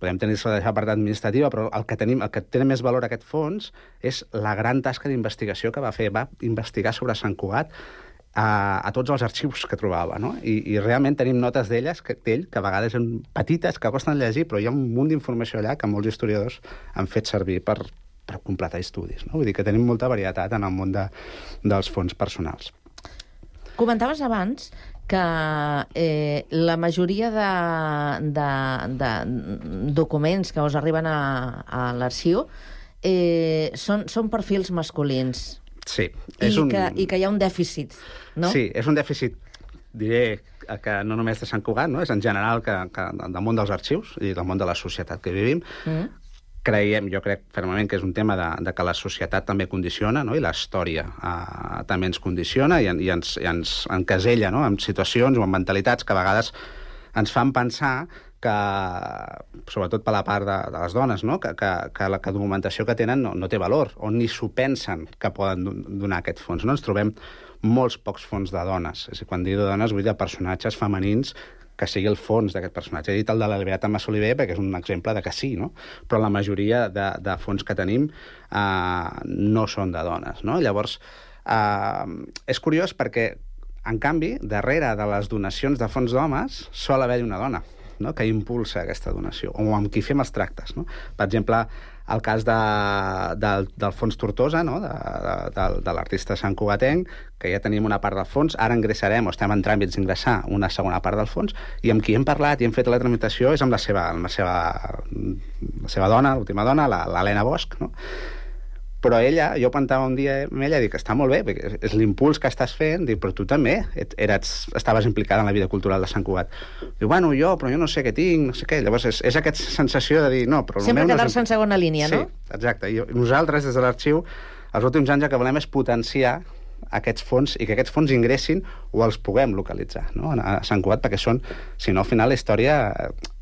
Podem tenir la seva part administrativa, però el que, tenim, el que té més valor aquest fons és la gran tasca d'investigació que va fer. Va investigar sobre Sant Cugat a, a tots els arxius que trobava, no? I, i realment tenim notes d'elles, que, d'ell, que a vegades són petites, que costen llegir, però hi ha un munt d'informació allà que molts historiadors han fet servir per, per completar estudis, no? Vull dir que tenim molta varietat en el món de, dels fons personals. Comentaves abans que eh, la majoria de, de, de documents que us arriben a, a l'arxiu eh, són, són perfils masculins. Sí. És I, un... que, I que hi ha un dèficit, no? Sí, és un dèficit, diré, que no només de Sant Cugat, no? És en general que, que del món dels arxius i del món de la societat que vivim. Mm. Creiem, jo crec fermament que és un tema de, de que la societat també condiciona, no? I la història eh, també ens condiciona i, i, ens, i ens encasella, no? En situacions o en mentalitats que a vegades ens fan pensar que, sobretot per la part de, de les dones, no? que, que, que la que documentació que tenen no, no té valor, o ni s'ho pensen que poden donar aquest fons. No? Ens trobem molts pocs fons de dones. És a dir, quan dic de dones vull dir de personatges femenins que sigui el fons d'aquest personatge. He dit el de la Liberata Masoliver perquè és un exemple de que sí, no? Però la majoria de, de fons que tenim eh, no són de dones, no? Llavors, eh, és curiós perquè, en canvi, darrere de les donacions de fons d'homes sol haver-hi una dona, no? Que impulsa aquesta donació, o amb qui fem els tractes, no? Per exemple, el cas de, de, del fons Tortosa, no? de, de, de l'artista santcugatenc, que ja tenim una part del fons, ara ingressarem, o estem en tràmits d'ingressar una segona part del fons, i amb qui hem parlat i hem fet la tramitació és amb la seva, amb la seva, la seva dona, l'última dona, l'Helena Bosch, no? Però ella, jo plantava un dia amb ella, dic, està molt bé, perquè és l'impuls que estàs fent, dic, però tu també eres, estaves implicada en la vida cultural de Sant Cugat. Diu, bueno, jo, però jo no sé què tinc, no sé què. Llavors és, és aquesta sensació de dir, no, però... Sempre quedar-se no és... en segona línia, no? Sí, exacte. I nosaltres, des de l'arxiu, els últims anys el que volem és potenciar aquests fons i que aquests fons ingressin o els puguem localitzar, no? A Sant Cugat, perquè són, si no, al final la història,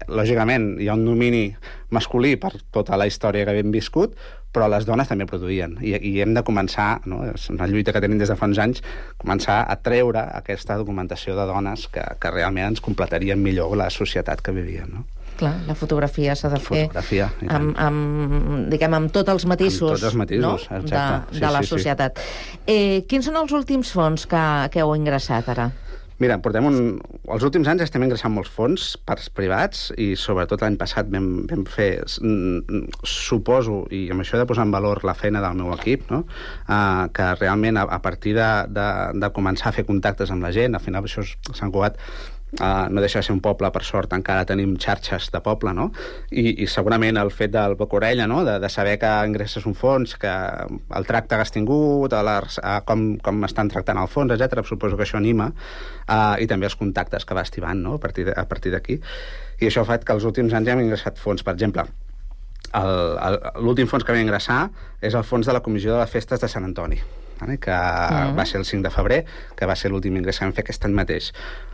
lògicament, hi ha un domini masculí per tota la història que hem viscut, però les dones també produïen, i, i hem de començar, no? És una lluita que tenim des de fa uns anys, començar a treure aquesta documentació de dones que, que realment ens completarien millor la societat que vivíem, no? Clar, la fotografia s'ha de fer fotografia, amb, amb, diguem, amb tots els matisos, amb tots els matisos, no? exacte. de, sí, de la sí, societat. Sí. Eh, quins són els últims fons que, que heu ingressat ara? Mira, portem un... els últims anys estem ingressant molts fons parts privats i sobretot l'any passat vam, vam fer, suposo, i amb això he de posar en valor la feina del meu equip, no? Uh, que realment a, a partir de, de, de començar a fer contactes amb la gent, al final això és Sant Cugat, Uh, no deixa de ser un poble, per sort, encara tenim xarxes de poble, no? I, i segurament el fet del boca-orella, no? De, de saber que ingresses un fons, que el tracte que has tingut, la, uh, com, com estan tractant el fons, etcètera. Suposo que això anima, uh, i també els contactes que va estivant, no? A partir de, a partir d'aquí. I això ha fet que els últims anys hem ingressat fons. Per exemple, l'últim fons que vam ingressar és el fons de la Comissió de les Festes de Sant Antoni, que mm. va ser el cinc de febrer, que va ser l'últim ingrés que vam fer aquest any mateix.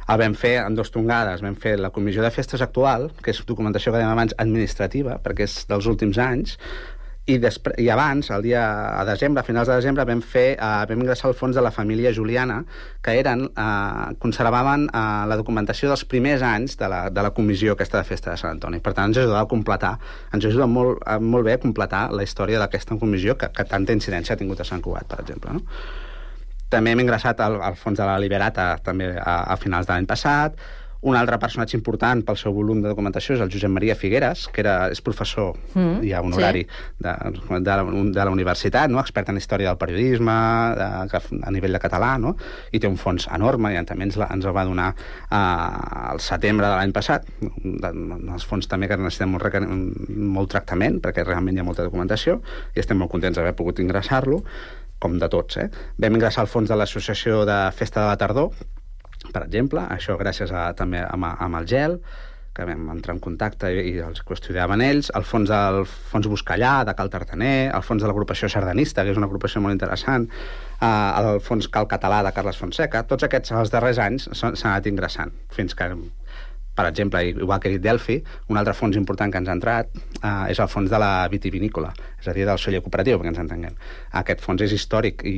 El vam fer en dos tongades. Vam fer la Comissió de Festes actual, que és documentació que dèiem abans administrativa, perquè és dels últims anys, i, després, i abans, el dia a desembre, a finals de desembre, vam fer, uh, vam ingressar el fons de la família Juliana, que eren, uh, conservaven uh, la documentació dels primers anys de la, de la comissió aquesta de Festa de Sant Antoni. Per tant, ens ajudava a completar, ens ajuda molt, uh, molt bé a completar la història d'aquesta comissió que, que tanta incidència ha tingut a Sant Cugat, per exemple, no? També hem ingressat al, al fons de la Liberata també a, a finals de l'any passat. Un altre personatge important pel seu volum de documentació és el Josep Maria Figueres, que era, és professor mm, i honorari sí. de, de, la, de la universitat, no? Expert en història del periodisme, de, a nivell de català, no? I té un fons enorme, i també ens, la, ens el va donar uh, al setembre de l'any passat. Els fons també que necessiten molt, molt tractament, perquè realment hi ha molta documentació, i estem molt contents d'haver pogut ingressar-lo, com de tots, eh? Vam ingressar al fons de l'Associació de Festa de la Tardor, per exemple, això gràcies a, també amb, amb el GEL, que vam entrar en contacte i, i els qüestionaven ells, el fons del Fons Buscallà, de Cal Tartaner, el fons de l'agrupació sardanista, que és una agrupació molt interessant, eh, el fons Cal Català de Carles Fonseca. Tots aquests, els darrers anys, s'han anat ingressant, fins que, per exemple, igual que he dit Delphi, un altre fons important que ens ha entrat eh, és el fons de la vitivinícola, és a dir, del celler cooperatiu, perquè ens entenguem. Aquest fons és històric i,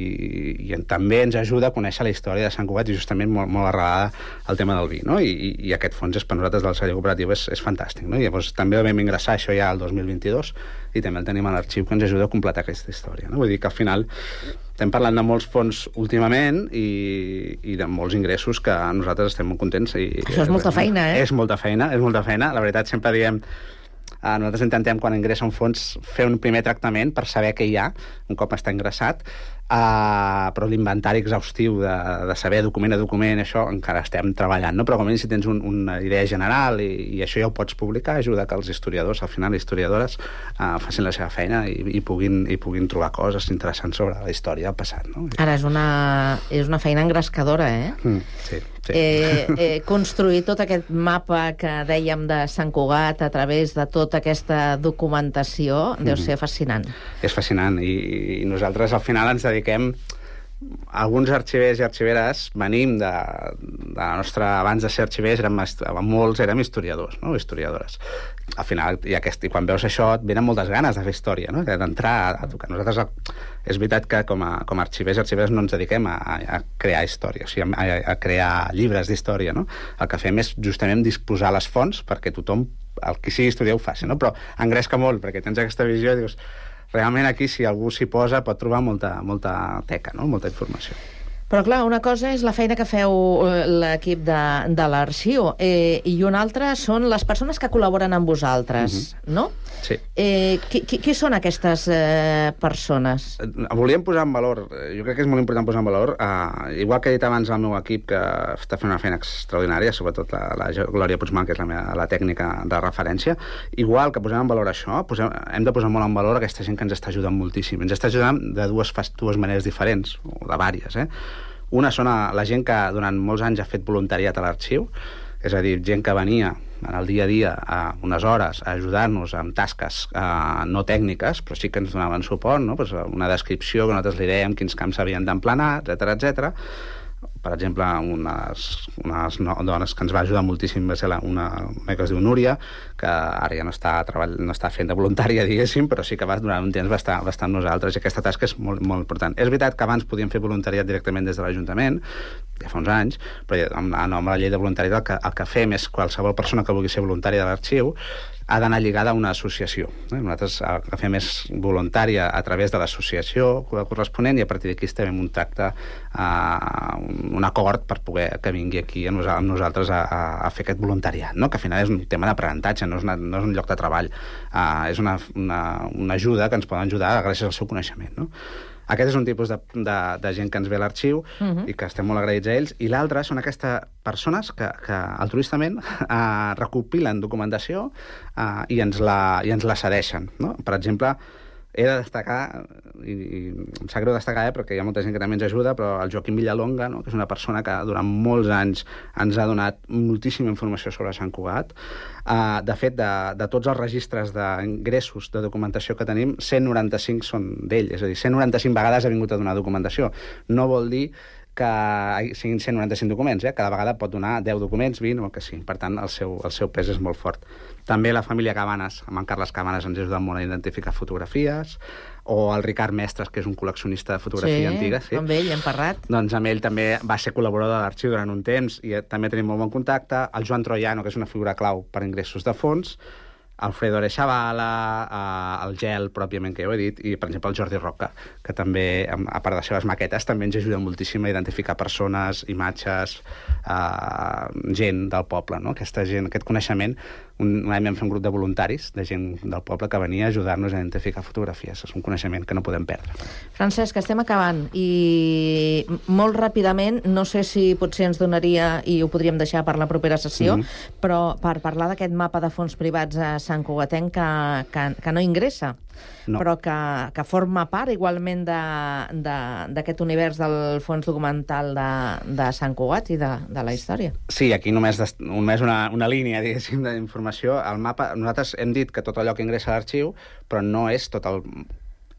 i també ens ajuda a conèixer la història de Sant Cugat i justament molt, molt arrelada al tema del vi, no? I, i, i aquest fons és per nosaltres del celler cooperatiu és, és fantàstic, no? I llavors també el vam ingressar això ja el dos mil vint-i-dos i també el tenim a l'arxiu que ens ajuda a completar aquesta història, no? Vull dir que al final estem parlant de molts fons últimament i, i de molts ingressos que nosaltres estem molt contents. I, això és molta feina, eh? És molta feina, és molta feina. La veritat, sempre diem, eh, nosaltres intentem, quan ingressa un fons, fer un primer tractament per saber què hi ha, un cop està ingressat, Uh, però l'inventari exhaustiu de, de saber document a document, això encara estem treballant, no? Però com a mínim si tens un, una idea general i, i això ja ho pots publicar, ajuda que els historiadors, al final historiadores, uh, facin la seva feina i, i, puguin, i puguin trobar coses interessants sobre la història del passat, no? Ara és una, és una feina engrescadora, eh? Mm, sí. Sí. Eh, eh, construir tot aquest mapa que dèiem de Sant Cugat a través de tota aquesta documentació deu ser fascinant. És fascinant i, i nosaltres al final ens dediquem, alguns arxivers i arxiveres venim de, de la nostra, abans de ser arxivers érem, molts érem historiadors, no? Historiadores. Al final, i, aquest, i quan veus això et venen moltes ganes de fer història, no? D'entrar a, a tocar. Nosaltres, és veritat que com a, com a arxivers i arxiveres no ens dediquem a, a crear història, o sigui, a, a crear llibres d'història, no? El que fem és justament disposar les fonts perquè tothom, el qui sigui historiador ho faci, no? Però engresca molt, perquè tens aquesta visió i dius, realment aquí, si algú s'hi posa, pot trobar molta, molta teca, no? Molta informació. Però clar, una cosa és la feina que feu l'equip de, de l'arxiu eh, i una altra són les persones que col·laboren amb vosaltres, uh-huh. no? Sí. Eh, qui, qui, qui són aquestes eh, persones? Volíem posar en valor, jo crec que és molt important posar en valor, eh, igual que he dit abans el meu equip, que està fent una feina extraordinària, sobretot la, la Glòria Puigman, que és la, meva, la tècnica de referència, igual que posem en valor això, posem, hem de posar molt en valor aquesta gent que ens està ajudant moltíssim. Ens està ajudant de dues, dues maneres diferents, o de vàries, eh? Una són la gent que durant molts anys ha fet voluntariat a l'arxiu, és a dir, gent que venia en el dia a dia a unes hores a ajudar-nos amb tasques eh, no tècniques, però sí que ens donaven suport, no? Pues una descripció que nosaltres li dèiem quins camps s'havien d'emplenar, etcètera, etcètera. Per exemple, unes, unes dones que ens va ajudar moltíssim va ser la, una, una que es diu Núria, que ara ja no està, treball, no està fent de voluntària, diguéssim, però sí que va, durant un temps va estar, va estar amb nosaltres, i aquesta tasca és molt, molt important. És veritat que abans podíem fer voluntariat directament des de l'Ajuntament, ja fa uns anys, però amb, amb la llei de voluntariat el que, el que fem és qualsevol persona que vulgui ser voluntària de l'arxiu ha d'anar lligada a una associació. Eh? Nosaltres el que fem és voluntària a través de l'associació corresponent i a partir d'aquí estem un tracte, uh, un acord per poder que vingui aquí amb nosaltres a, a, a fer aquest voluntariat, no? Que al final és un tema d'aprenentatge, no, és una, no és un lloc de treball, uh, és una, una, una ajuda que ens poden ajudar gràcies al seu coneixement, no? Aquest és un tipus de, de, de gent que ens ve a l'arxiu uh-huh. i que estem molt agraïts a ells, i l'altre són aquestes persones que, que altruistament eh, recopilen documentació eh, i, ens la, i ens la cedeixen, no? Per exemple, he de destacar, i, i em sap greu destacar, eh, perquè hi ha molta gent que també ens ajuda, però el Joaquim Villalonga, no? Que és una persona que durant molts anys ens ha donat moltíssima informació sobre Sant Cugat. Uh, de fet, de, de tots els registres d'ingressos de documentació que tenim, cent noranta-cinc són d'ell, és a dir, cent noranta-cinc vegades ha vingut a donar documentació. No vol dir que siguin cent noranta-cinc documents, eh? Cada vegada pot donar deu documents, vint, o el que sigui. Per tant, el seu, el seu pes és molt fort. També la família Cabanes, amb en Carles Cabanes, ens ha ajudat molt a identificar fotografies, o el Ricard Mestres, que és un col·leccionista de fotografia sí, antiga. Sí, amb ell hem parlat. Doncs amb ell també va ser col·laborador de l'arxiu durant un temps i també tenim molt bon contacte. El Joan Troiano, que és una figura clau per ingressos de fons, Alfredo Arechavala, eh, el Gel, pròpiament, que ja ho he dit, i, per exemple, el Jordi Roca, que també, a part de les seves maquetes, també ens ajuda moltíssim a identificar persones, imatges, eh, gent del poble, no? Aquesta gent, aquest coneixement. Un, un any vam fer un grup de voluntaris, de gent del poble, que venia a ajudar-nos a identificar fotografies. És un coneixement que no podem perdre. Francesc, estem acabant, i molt ràpidament, no sé si potser ens donaria, i ho podríem deixar per la propera sessió, mm-hmm. però per parlar d'aquest mapa de fons privats a Sant Cugatenc que, que, que no ingressa, no. però que, que forma part igualment d'aquest univers del fons documental de, de Sant Cugat i de, de la història. Sí, aquí només, només una, una línia, diguéssim, d'informació. El mapa, nosaltres hem dit que tot allò que ingressa a l'arxiu, però no és tot el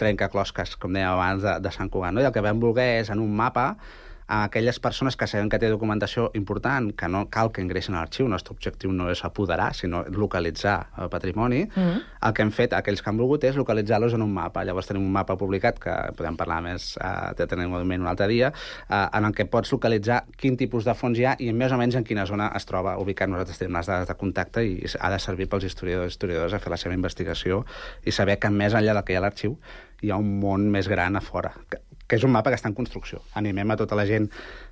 trencaclosques, com dèiem abans, de, de Sant Cugat. No? I el que vam voler és, en un mapa, a aquelles persones que sabem que té documentació important, que no cal que ingressin a l'arxiu. El nostre objectiu no és apoderar, sinó localitzar el patrimoni. Mm-hmm. El que hem fet, aquells que han volgut, és localitzar-los en un mapa. Llavors tenim un mapa publicat, que podem parlar més, eh, de tenir un moment un altre dia, eh, en el que pots localitzar quin tipus de fons hi ha i més o menys en quina zona es troba ubicat. Nosaltres tenim les dades de contacte i ha de servir pels historiadors i historiadors a fer la seva investigació i saber que més enllà del que hi ha a l'arxiu hi ha un món més gran a fora, que, que és un mapa que està en construcció. Animem a tota la gent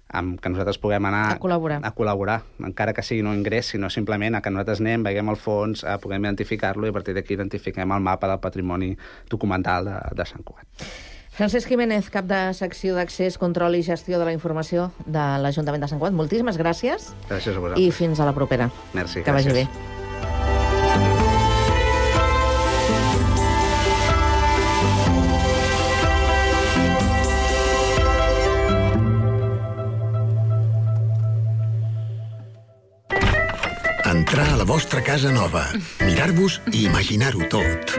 amb que nosaltres puguem anar a col·laborar. a col·laborar, encara que sigui no ingrés, sinó simplement a que nosaltres anem, veiem el fons, a puguem identificar-lo i a partir d'aquí identifiquem el mapa del patrimoni documental de, de Sant Cugat. Francesc Jiménez, cap de secció d'accés, control i gestió de la informació de l'Ajuntament de Sant Cugat. Moltíssimes gràcies. Gràcies a vosaltres. I fins a la propera. Merci, que gràcies. vagi bé. Entrar a la vostra casa nova, mirar-vos i imaginar-ho tot.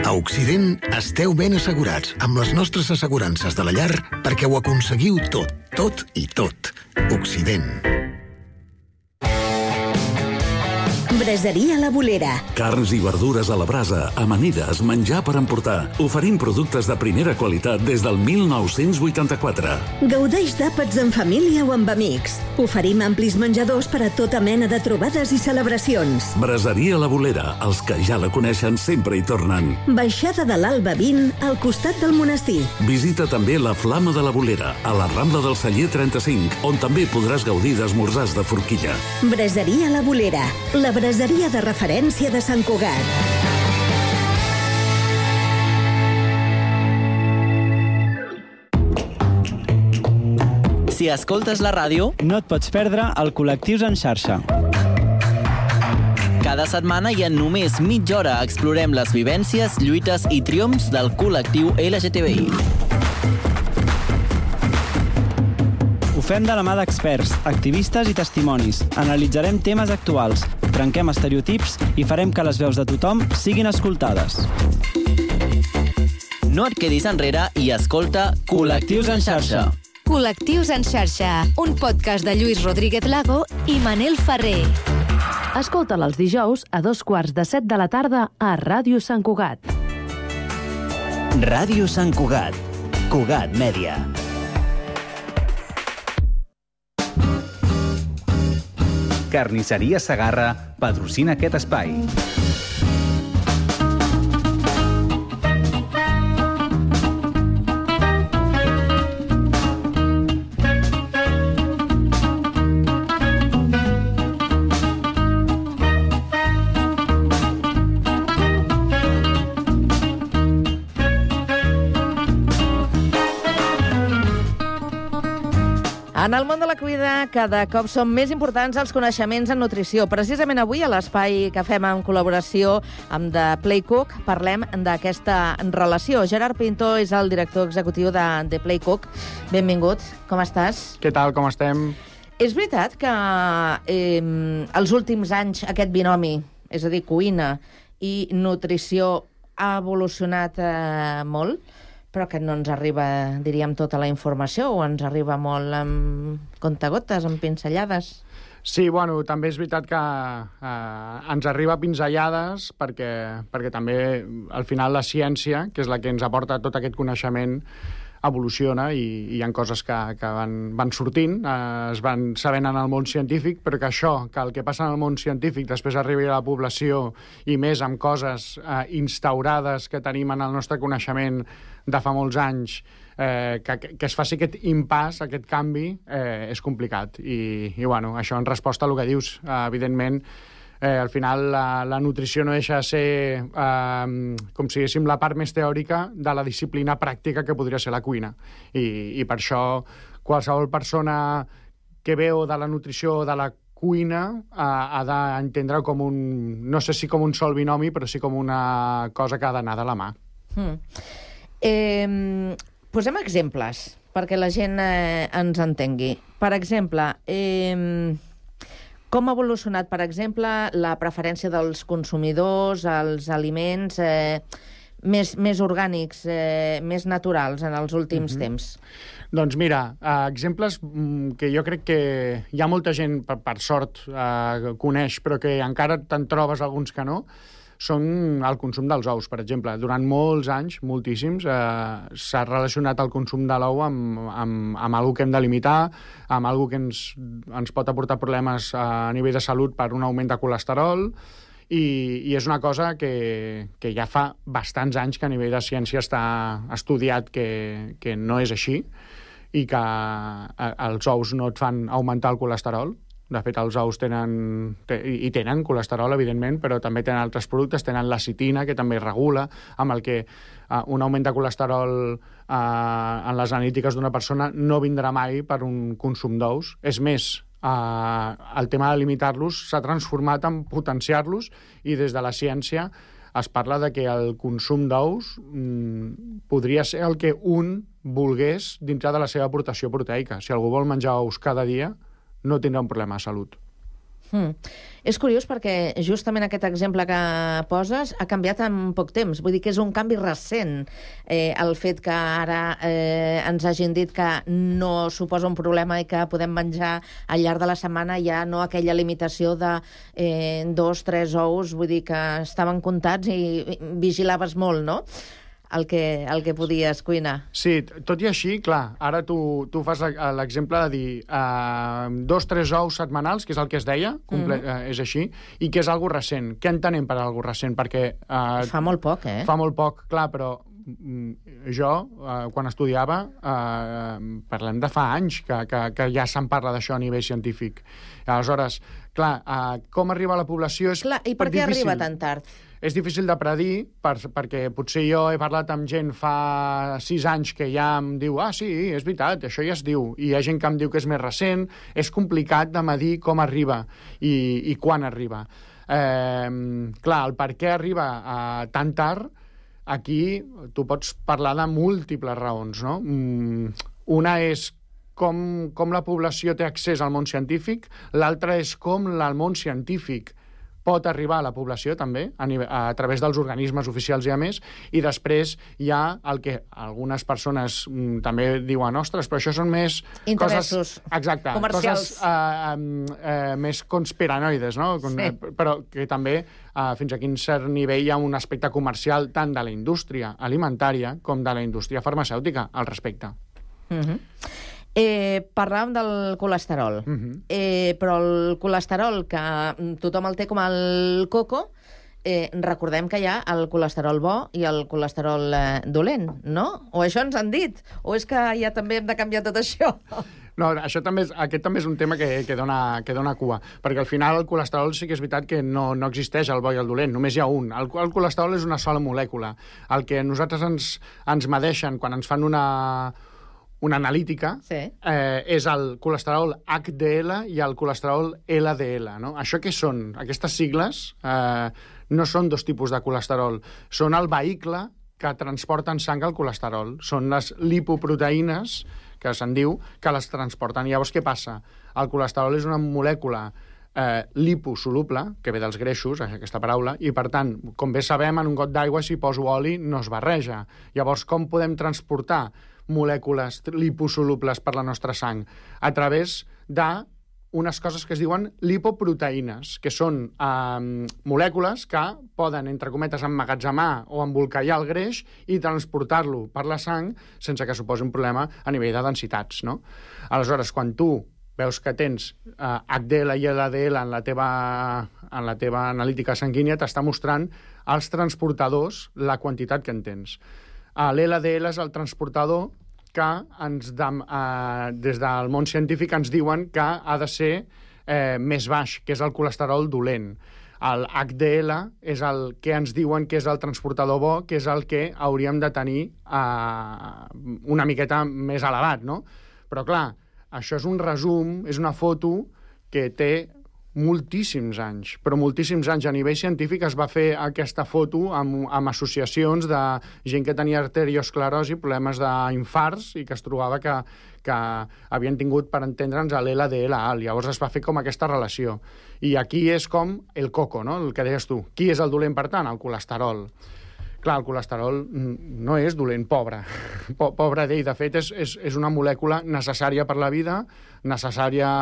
A Occident esteu ben assegurats amb les nostres assegurances de la llar perquè ho aconseguiu tot, tot i tot. Occident. Braseria La Bolera. Carns i verdures a la brasa, amanides, menjar per emportar. Oferim productes de primera qualitat des del mil nou-cents vuitanta-quatre. Gaudeix d'àpats en família o amb amics. Oferim amplis menjadors per a tota mena de trobades i celebracions. Braseria La Bolera. Els que ja la coneixen sempre hi tornen. Baixada de l'Alba vint, al costat del monestir. Visita també la Flama de la Bolera, a la Rambla del Celler trenta-cinc, on també podràs gaudir d'esmorzars de forquilla. Braseria La Bolera, la braseria de referència de Sant Cugat. Si escoltes la ràdio, no et pots perdre el Col·lectius en xarxa. Cada setmana i en només mitja hora explorem les vivències, lluites i triomfs del col·lectiu L G T B I. Ho fem de la mà d'experts, activistes i testimonis. Analitzarem temes actuals, trenquem estereotips i farem que les veus de tothom siguin escoltades. No et quedis enrere i escolta Col·lectius en xarxa. Col·lectius en xarxa, un podcast de Lluís Rodríguez Lago i Manel Ferrer. Escolta'l els dijous a dos quarts de set de la tarda a Ràdio Sant Cugat. Ràdio Sant Cugat. Cugat Mèdia. Carnisseria Segarra patrocina aquest espai. En el món de la cuina, cada cop són més importants els coneixements en nutrició. Precisament avui, a l'espai que fem en col·laboració amb The Play Cook, parlem d'aquesta relació. Gerard Pinto és el director executiu de The Play Cook. Benvingut, com estàs? Què tal, com estem? És veritat que eh, els últims anys aquest binomi, és a dir, cuina i nutrició, ha evolucionat eh, molt? Però que no ens arriba, diríem, tota la informació, o ens arriba molt amb contagotes, amb pinzellades? Sí, bueno, també és veritat que eh, ens arriba pinzellades perquè, perquè també, al final, la ciència, que és la que ens aporta tot aquest coneixement, evoluciona i, i hi ha coses que, que van, van sortint, eh, es van sabent en el món científic, però que això, que el que passa en el món científic després arribi a la població i més amb coses eh, instaurades que tenim en el nostre coneixement de fa molts anys, eh, que, que es faci aquest impàs, aquest canvi, eh, és complicat. I, i bueno, això en resposta a el que dius, eh, evidentment, eh, al final la, la nutrició no deixa de ser, eh, com si diguéssim, la part més teòrica de la disciplina pràctica que podria ser la cuina. I, i per això qualsevol persona que veu de la nutrició o de la cuina eh, ha d'entendre com un, no sé si com un sol binomi, però sí com una cosa que ha d'anar de la mà. Mm. Eh, posem exemples perquè la gent eh, ens entengui. Per exemple, eh, com ha evolucionat, per exemple, la preferència dels consumidors als aliments eh, més, més orgànics, eh, més naturals en els últims mm-hmm. temps? Doncs mira, eh, exemples que jo crec que hi ha molta gent, per, per sort, eh, coneix, però que encara te'n trobes alguns que no, són el consum dels ous, per exemple. Durant molts anys, moltíssims, eh, s'ha relacionat el consum de l'ou amb, amb, amb alguna que hem de limitar, amb alguna que ens, ens pot aportar problemes a nivell de salut per un augment de colesterol, i, i és una cosa que, que ja fa bastants anys que a nivell de ciència està estudiat que, que no és així, i que els ous no et fan augmentar el colesterol. De fet, els ous tenen, i tenen colesterol, evidentment, però també tenen altres productes, tenen la citina, que també regula, amb el que uh, un augment de colesterol uh, en les analítiques d'una persona no vindrà mai per un consum d'ous. És més, uh, el tema de limitar-los s'ha transformat en potenciar-los, i des de la ciència es parla de que el consum d'ous mm, podria ser el que un volgués dintre de la seva aportació proteica. Si algú vol menjar ous cada dia, no tindrà un problema de salut. Mm. És curiós perquè justament aquest exemple que poses ha canviat en poc temps. Vull dir que és un canvi recent eh, el fet que ara eh, ens hagin dit que no suposa un problema i que podem menjar al llarg de la setmana, ja no aquella limitació de eh, dos, tres ous, vull dir que estaven comptats i vigilaves molt, no?, el que, el que podies cuinar. Sí, tot i així, clar, ara tu, tu fas l'exemple de dir uh, dos, tres ous setmanals, que és el que es deia, comple- mm-hmm. uh, és així, i que és algo recent. Què entenem per algo recent? Perquè... Uh, fa molt poc, eh? Fa molt poc, clar, però mm, jo, uh, quan estudiava, uh, parlem de fa anys que, que, que ja se'n parla d'això a nivell científic. Aleshores, clar, uh, com arriba a la població és clar, i per què difícil. Arriba tan tard? És difícil de predir, per, perquè potser jo he parlat amb gent fa sis anys que ja em diu ah, sí, és veritat, això ja es diu, i hi ha gent que em diu que és més recent. És complicat de medir com arriba i, i quan arriba. Eh, clar, el per què arriba eh, tan tard, aquí tu pots parlar de múltiples raons, no? Mm, una és com, com la població té accés al món científic, l'altra és com el món científic pot arribar a la població, també, a, nivell, a través dels organismes oficials i a més, i després hi ha el que algunes persones mm, també diuen, ostres, però això són més interessos coses, exacte, comercials. Coses uh, uh, més conspiranoides, no? Sí. Però que també uh, fins a quin cert nivell hi ha un aspecte comercial tant de la indústria alimentària com de la indústria farmacèutica al respecte. Mhm. Eh, parlàvem del colesterol, uh-huh. eh, però el colesterol, que tothom el té com el coco, eh, recordem que hi ha el colesterol bo i el colesterol eh, dolent, no? O això ens han dit? O és que ja també hem de canviar tot això? No, això també és, aquest també és un tema que, que, dona, que dona cua, perquè al final el colesterol sí que és veritat que no, no existeix el bo i el dolent, només hi ha un. El, el colesterol és una sola molècula. El que nosaltres ens, ens medeixen quan ens fan una... una analítica, sí. eh, és el colesterol H D L i el colesterol L D L. No? Això què són? Aquestes sigles eh, no són dos tipus de colesterol. Són el vehicle que transporta en sang el colesterol. Són les lipoproteïnes, que se'n diu, que les transporten. Llavors, què passa? El colesterol és una molècula eh, liposoluble, que ve dels greixos, aquesta paraula, i, per tant, com bé sabem, en un got d'aigua, si poso oli, no es barreja. Llavors, com podem transportar molècules liposolubles per la nostra sang? A través d'unes coses que es diuen lipoproteïnes, que són eh, molècules que poden, entre cometes, emmagatzemar o embolcallar el greix i transportar-lo per la sang sense que suposi un problema a nivell de densitats, no? Aleshores, quan tu veus que tens eh, H D L i L D L en la teva, en la teva analítica sanguínia, t'està mostrant als transportadors la quantitat que en tens. L'L D L és el transportador que ens de, eh, des del món científic ens diuen que ha de ser eh, més baix, que és el colesterol dolent. El H D L és el que ens diuen que és el transportador bo, que és el que hauríem de tenir eh, una miqueta més elevat, no? Però, clar, això és un resum, és una foto que té moltíssims anys, però moltíssims anys. A nivell científic es va fer aquesta foto amb, amb associacions de gent que tenia arteriosclerosi, problemes d'infarts, i que es trobava que, que havien tingut, per entendre'ns, l'L D L alt. Llavors es va fer com aquesta relació. I aquí és com el coco, no? El que deies tu. Qui és el dolent, per tant? El colesterol. Clar, el colesterol no és dolent, pobre. Pobre d'ell. De fet, és, és, és una molècula necessària per la vida, necessària...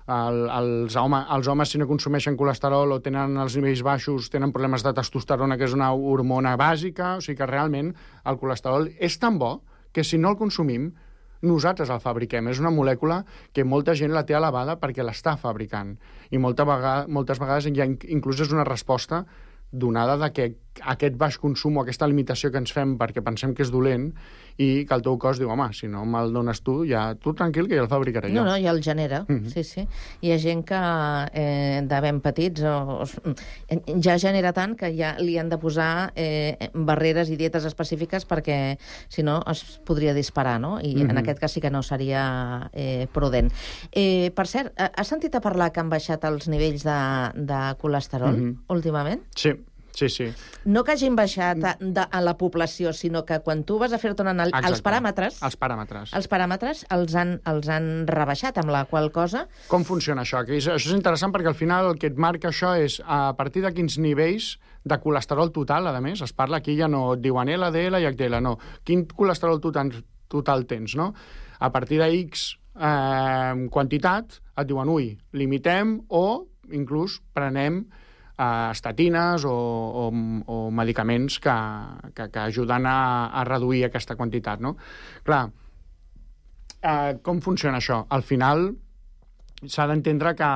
El, els, home, els homes, si no consumeixen colesterol o tenen els nivells baixos, tenen problemes de testosterona, que és una hormona bàsica. O sigui que realment el colesterol és tan bo que si no el consumim, nosaltres el fabriquem. És una molècula que molta gent la té elevada perquè l'està fabricant. I molta vegada, moltes vegades ja inclús és una resposta donada de que aquest baix consum o aquesta limitació que ens fem perquè pensem que és dolent i que el teu cos diu, home, si no me'l dones tu, ja tu tranquil, que ja el fabricaré jo. No, no, ja el genera, Mm-hmm. sí, sí. Hi ha gent que eh, de ben petits o, o, ja genera tant que ja li han de posar eh, barreres i dietes específiques perquè, si no, es podria disparar, no? I Mm-hmm. en aquest cas sí que no seria eh, prudent. Eh, per cert, has sentit a parlar que han baixat els nivells de, de colesterol Mm-hmm. últimament? Sí. Sí, sí. No que hagin baixat a, de, a la població, sinó que quan tu vas a fer-te una anàlisi... Els paràmetres... Els paràmetres. Els paràmetres els han, els han rebaixat, amb la qual cosa... Com funciona això? Que és, això és interessant perquè al final el que et marca això és a partir de quins nivells de colesterol total, a més, es parla aquí, ja no et diuen L D L i H D L, no. Quin colesterol total, total tens, no? A partir de X eh, quantitat, et diuen, ui, limitem o inclús prenem Uh, estatines o, o, o medicaments que, que, que ajuden a, a reduir aquesta quantitat, no? Clar, uh, com funciona això? Al final s'ha d'entendre que,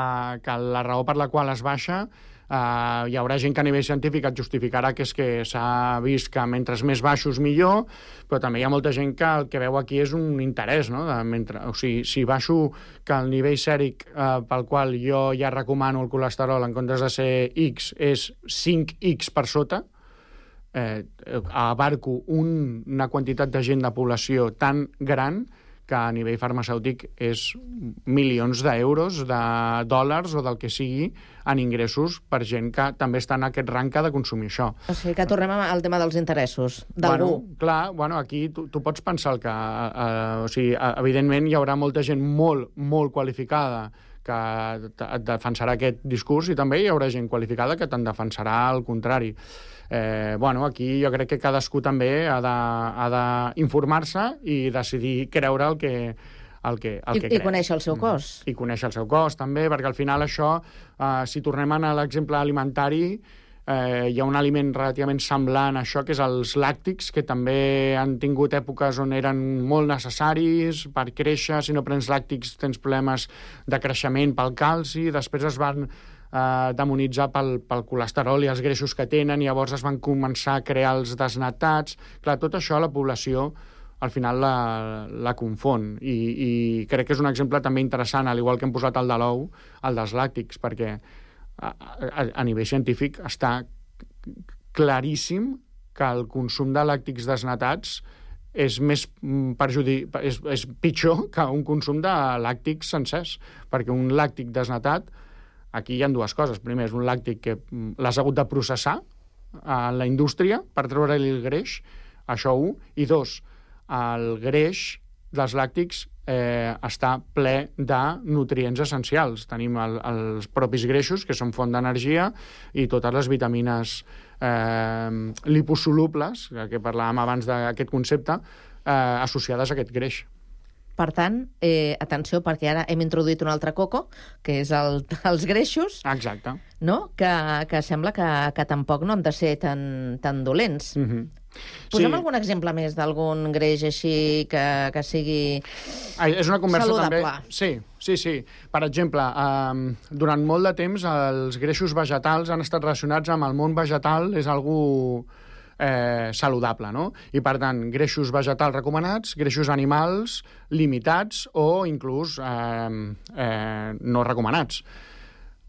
que la raó per la qual es baixa Uh, hi haurà gent que a nivell científic et justificarà que és que s'ha vist que mentre més baixos millor, però també hi ha molta gent que el que veu aquí és un interès, no? De mentre, o sigui, si baixo que el nivell sèric uh, pel qual jo ja recomano el colesterol en comptes de ser X és cinc X per sota, eh, abarco un, una quantitat de gent de població tan gran que a nivell farmacèutic és milions d'euros, de dòlars o del que sigui en ingressos per gent que també està en aquest rang que ha de consumir això. O sigui que tornem al tema dels interessos d'algú. Bueno, clar, bueno, aquí tu, tu pots pensar el que... Eh, o sigui, evidentment hi haurà molta gent molt, molt qualificada que et defensarà aquest discurs i també hi haurà gent qualificada que te'n defensarà el contrari. Eh, bueno, aquí jo crec que cadascú també ha d'informar-se i decidir creure el que, el que, el I, que I creu. conèixer el seu cos. I conèixer el seu cos, també, perquè al final això, eh, si tornem a l'exemple alimentari, eh, hi ha un aliment relativament semblant a això, que és els làctics, que també han tingut èpoques on eren molt necessaris per créixer. Si no prens làctics tens problemes de creixement pel calci, després es van Uh, demonitzar pel, pel colesterol i els greixos que tenen, i llavors es van començar a crear els desnatats. Clar, tot això la població al final la, la confon, i, i crec que és un exemple també interessant, al igual que hem posat el de l'ou, el dels làctics, perquè a, a, a nivell científic està claríssim que el consum de làctics desnatats és més perjudi... és, és pitjor que un consum de làctics sencers, perquè un làctic desnatat, aquí hi ha dues coses. Primer, és un làctic que l'has hagut de processar a la indústria per treure-li el greix, això un, i dos, el greix dels làctics eh, està ple de nutrients essencials. Tenim el, els propis greixos, que són font d'energia, i totes les vitamines eh, liposolubles, que parlàvem abans d'aquest concepte, eh, associades a aquest greix. Per tant, eh, atenció, perquè ara hem introduït un altre coco, que és el, els greixos. Exacte. No? Que, que sembla que, que tampoc no han de ser tan, tan dolents. Mm-hmm. Posem sí. algun exemple més d'algun greix així que, que sigui Ai, és una conversa saludable. També... Sí, sí, sí. Per exemple, eh, durant molt de temps els greixos vegetals han estat relacionats amb el món vegetal, és algú eh, saludable, no? I, per tant, greixos vegetals recomanats, greixos animals limitats o inclús eh, eh, no recomanats.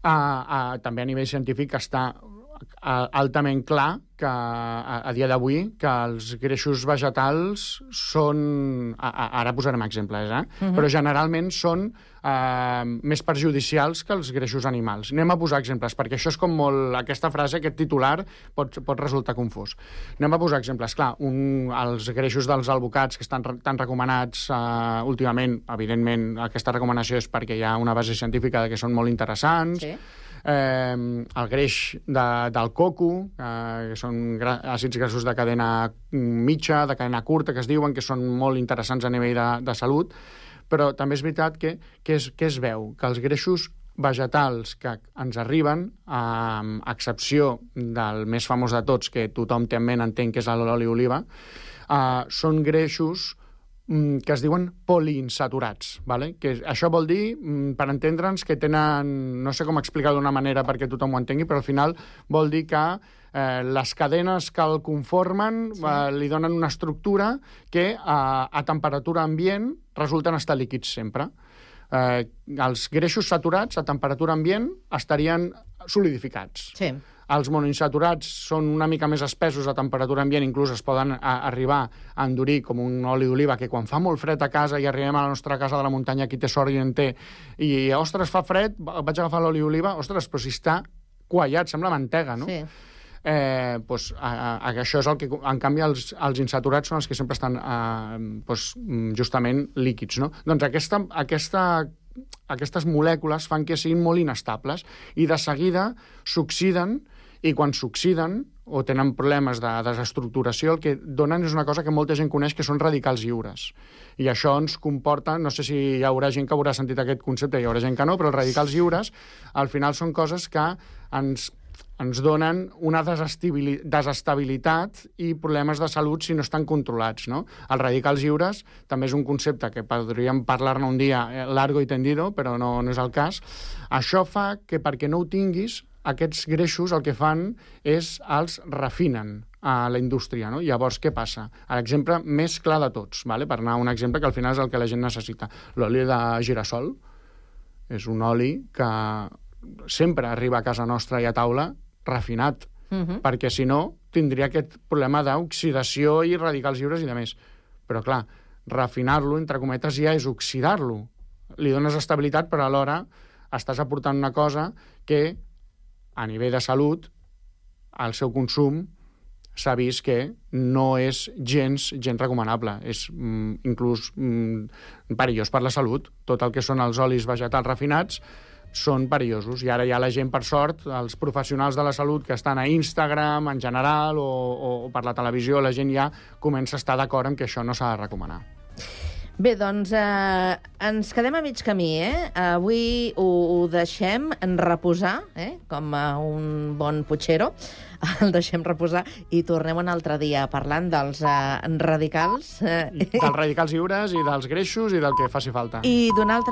Uh, uh, també a nivell científic està uh, altament clar que a, a dia d'avui que els greixos vegetals són... A, a, ara posarem exemples, eh? Uh-huh. Però generalment són uh, més perjudicials que els greixos animals. Anem a posar exemples, perquè això és com molt... Aquesta frase, aquest titular, pot, pot resultar confús. Anem a posar exemples. Clar, un, els greixos dels alvocats que estan re, tan recomanats uh, últimament, evidentment, aquesta recomanació és perquè hi ha una base científica que són molt interessants. Sí. Eh, el greix de, del coco, eh, que són gra àcids grassos de cadena mitja, de cadena curta, que es diuen, que són molt interessants a nivell de, de salut, però també és veritat que, que, es, que es veu que els greixos vegetals que ens arriben, a excepció del més famós de tots, que tothom té en ment, entenc que és l'oli oliva, eh, són greixos que es diuen poliinsaturats, ¿vale? Que això vol dir, per entendre'ns, que tenen, no sé com explicar d'una manera perquè tothom ho entengui, però al final vol dir que eh, les cadenes que el conformen sí. eh, li donen una estructura que a, a temperatura ambient resulten estar líquids sempre. Eh, els greixos saturats a temperatura ambient estarien solidificats. Sí. Els monoinsaturats són una mica més espessos a temperatura ambient, inclús es poden a, arribar a endurir com un oli d'oliva, que quan fa molt fred a casa i arribem a la nostra casa de la muntanya, qui té sort i en té, i, ostres, fa fred, vaig agafar l'oli d'oliva, ostres, però si està quallat, sembla mantega, no? Sí. eh, doncs, a, a, això és el que... En canvi, els, els insaturats són els que sempre estan eh, doncs, justament líquids, no? Doncs aquesta, aquesta, aquestes molècules fan que siguin molt inestables i de seguida s'oxiden, i quan s'oxiden o tenen problemes de desestructuració, el que donen és una cosa que molta gent coneix, que són radicals lliures. I això ens comporta, no sé si hi haurà gent que haurà sentit aquest concepte, hi haurà gent que no, però els radicals lliures al final són coses que ens, ens donen una desestabilitat i problemes de salut si no estan controlats, no? Els radicals lliures també és un concepte que podríem parlar-ne un dia largo i tendido, però no, no és el cas. Això fa que perquè no ho tinguis, aquests greixos el que fan és els refinen a la indústria, no? Llavors, què passa? L'exemple més clar de tots, vale? Per anar a un exemple que al final és el que la gent necessita. L'oli de girassol és un oli que sempre arriba a casa nostra i a taula refinat, uh-huh. perquè si no tindria aquest problema d'oxidació i radicals lliures i de més. Però clar, refinar-lo, entre cometes, ja és oxidar-lo. Li dones estabilitat, però alhora estàs aportant una cosa que a nivell de salut, el seu consum s'ha vist que no és gens, gens recomanable. És mm, inclús mm, perillós per la salut. Tot el que són els olis vegetals refinats són perillosos. I ara ja la gent, per sort, els professionals de la salut que estan a Instagram, en general, o, o per la televisió, la gent ja comença a estar d'acord en que això no s'ha de recomanar. Bé, doncs eh, ens quedem a mig camí, eh? Avui ho, ho deixem en reposar, eh? Com a un bon putxero. El deixem reposar i tornem un altre dia parlant dels eh, radicals. Eh? Dels radicals lliures i dels greixos i del que faci falta. I d'un altre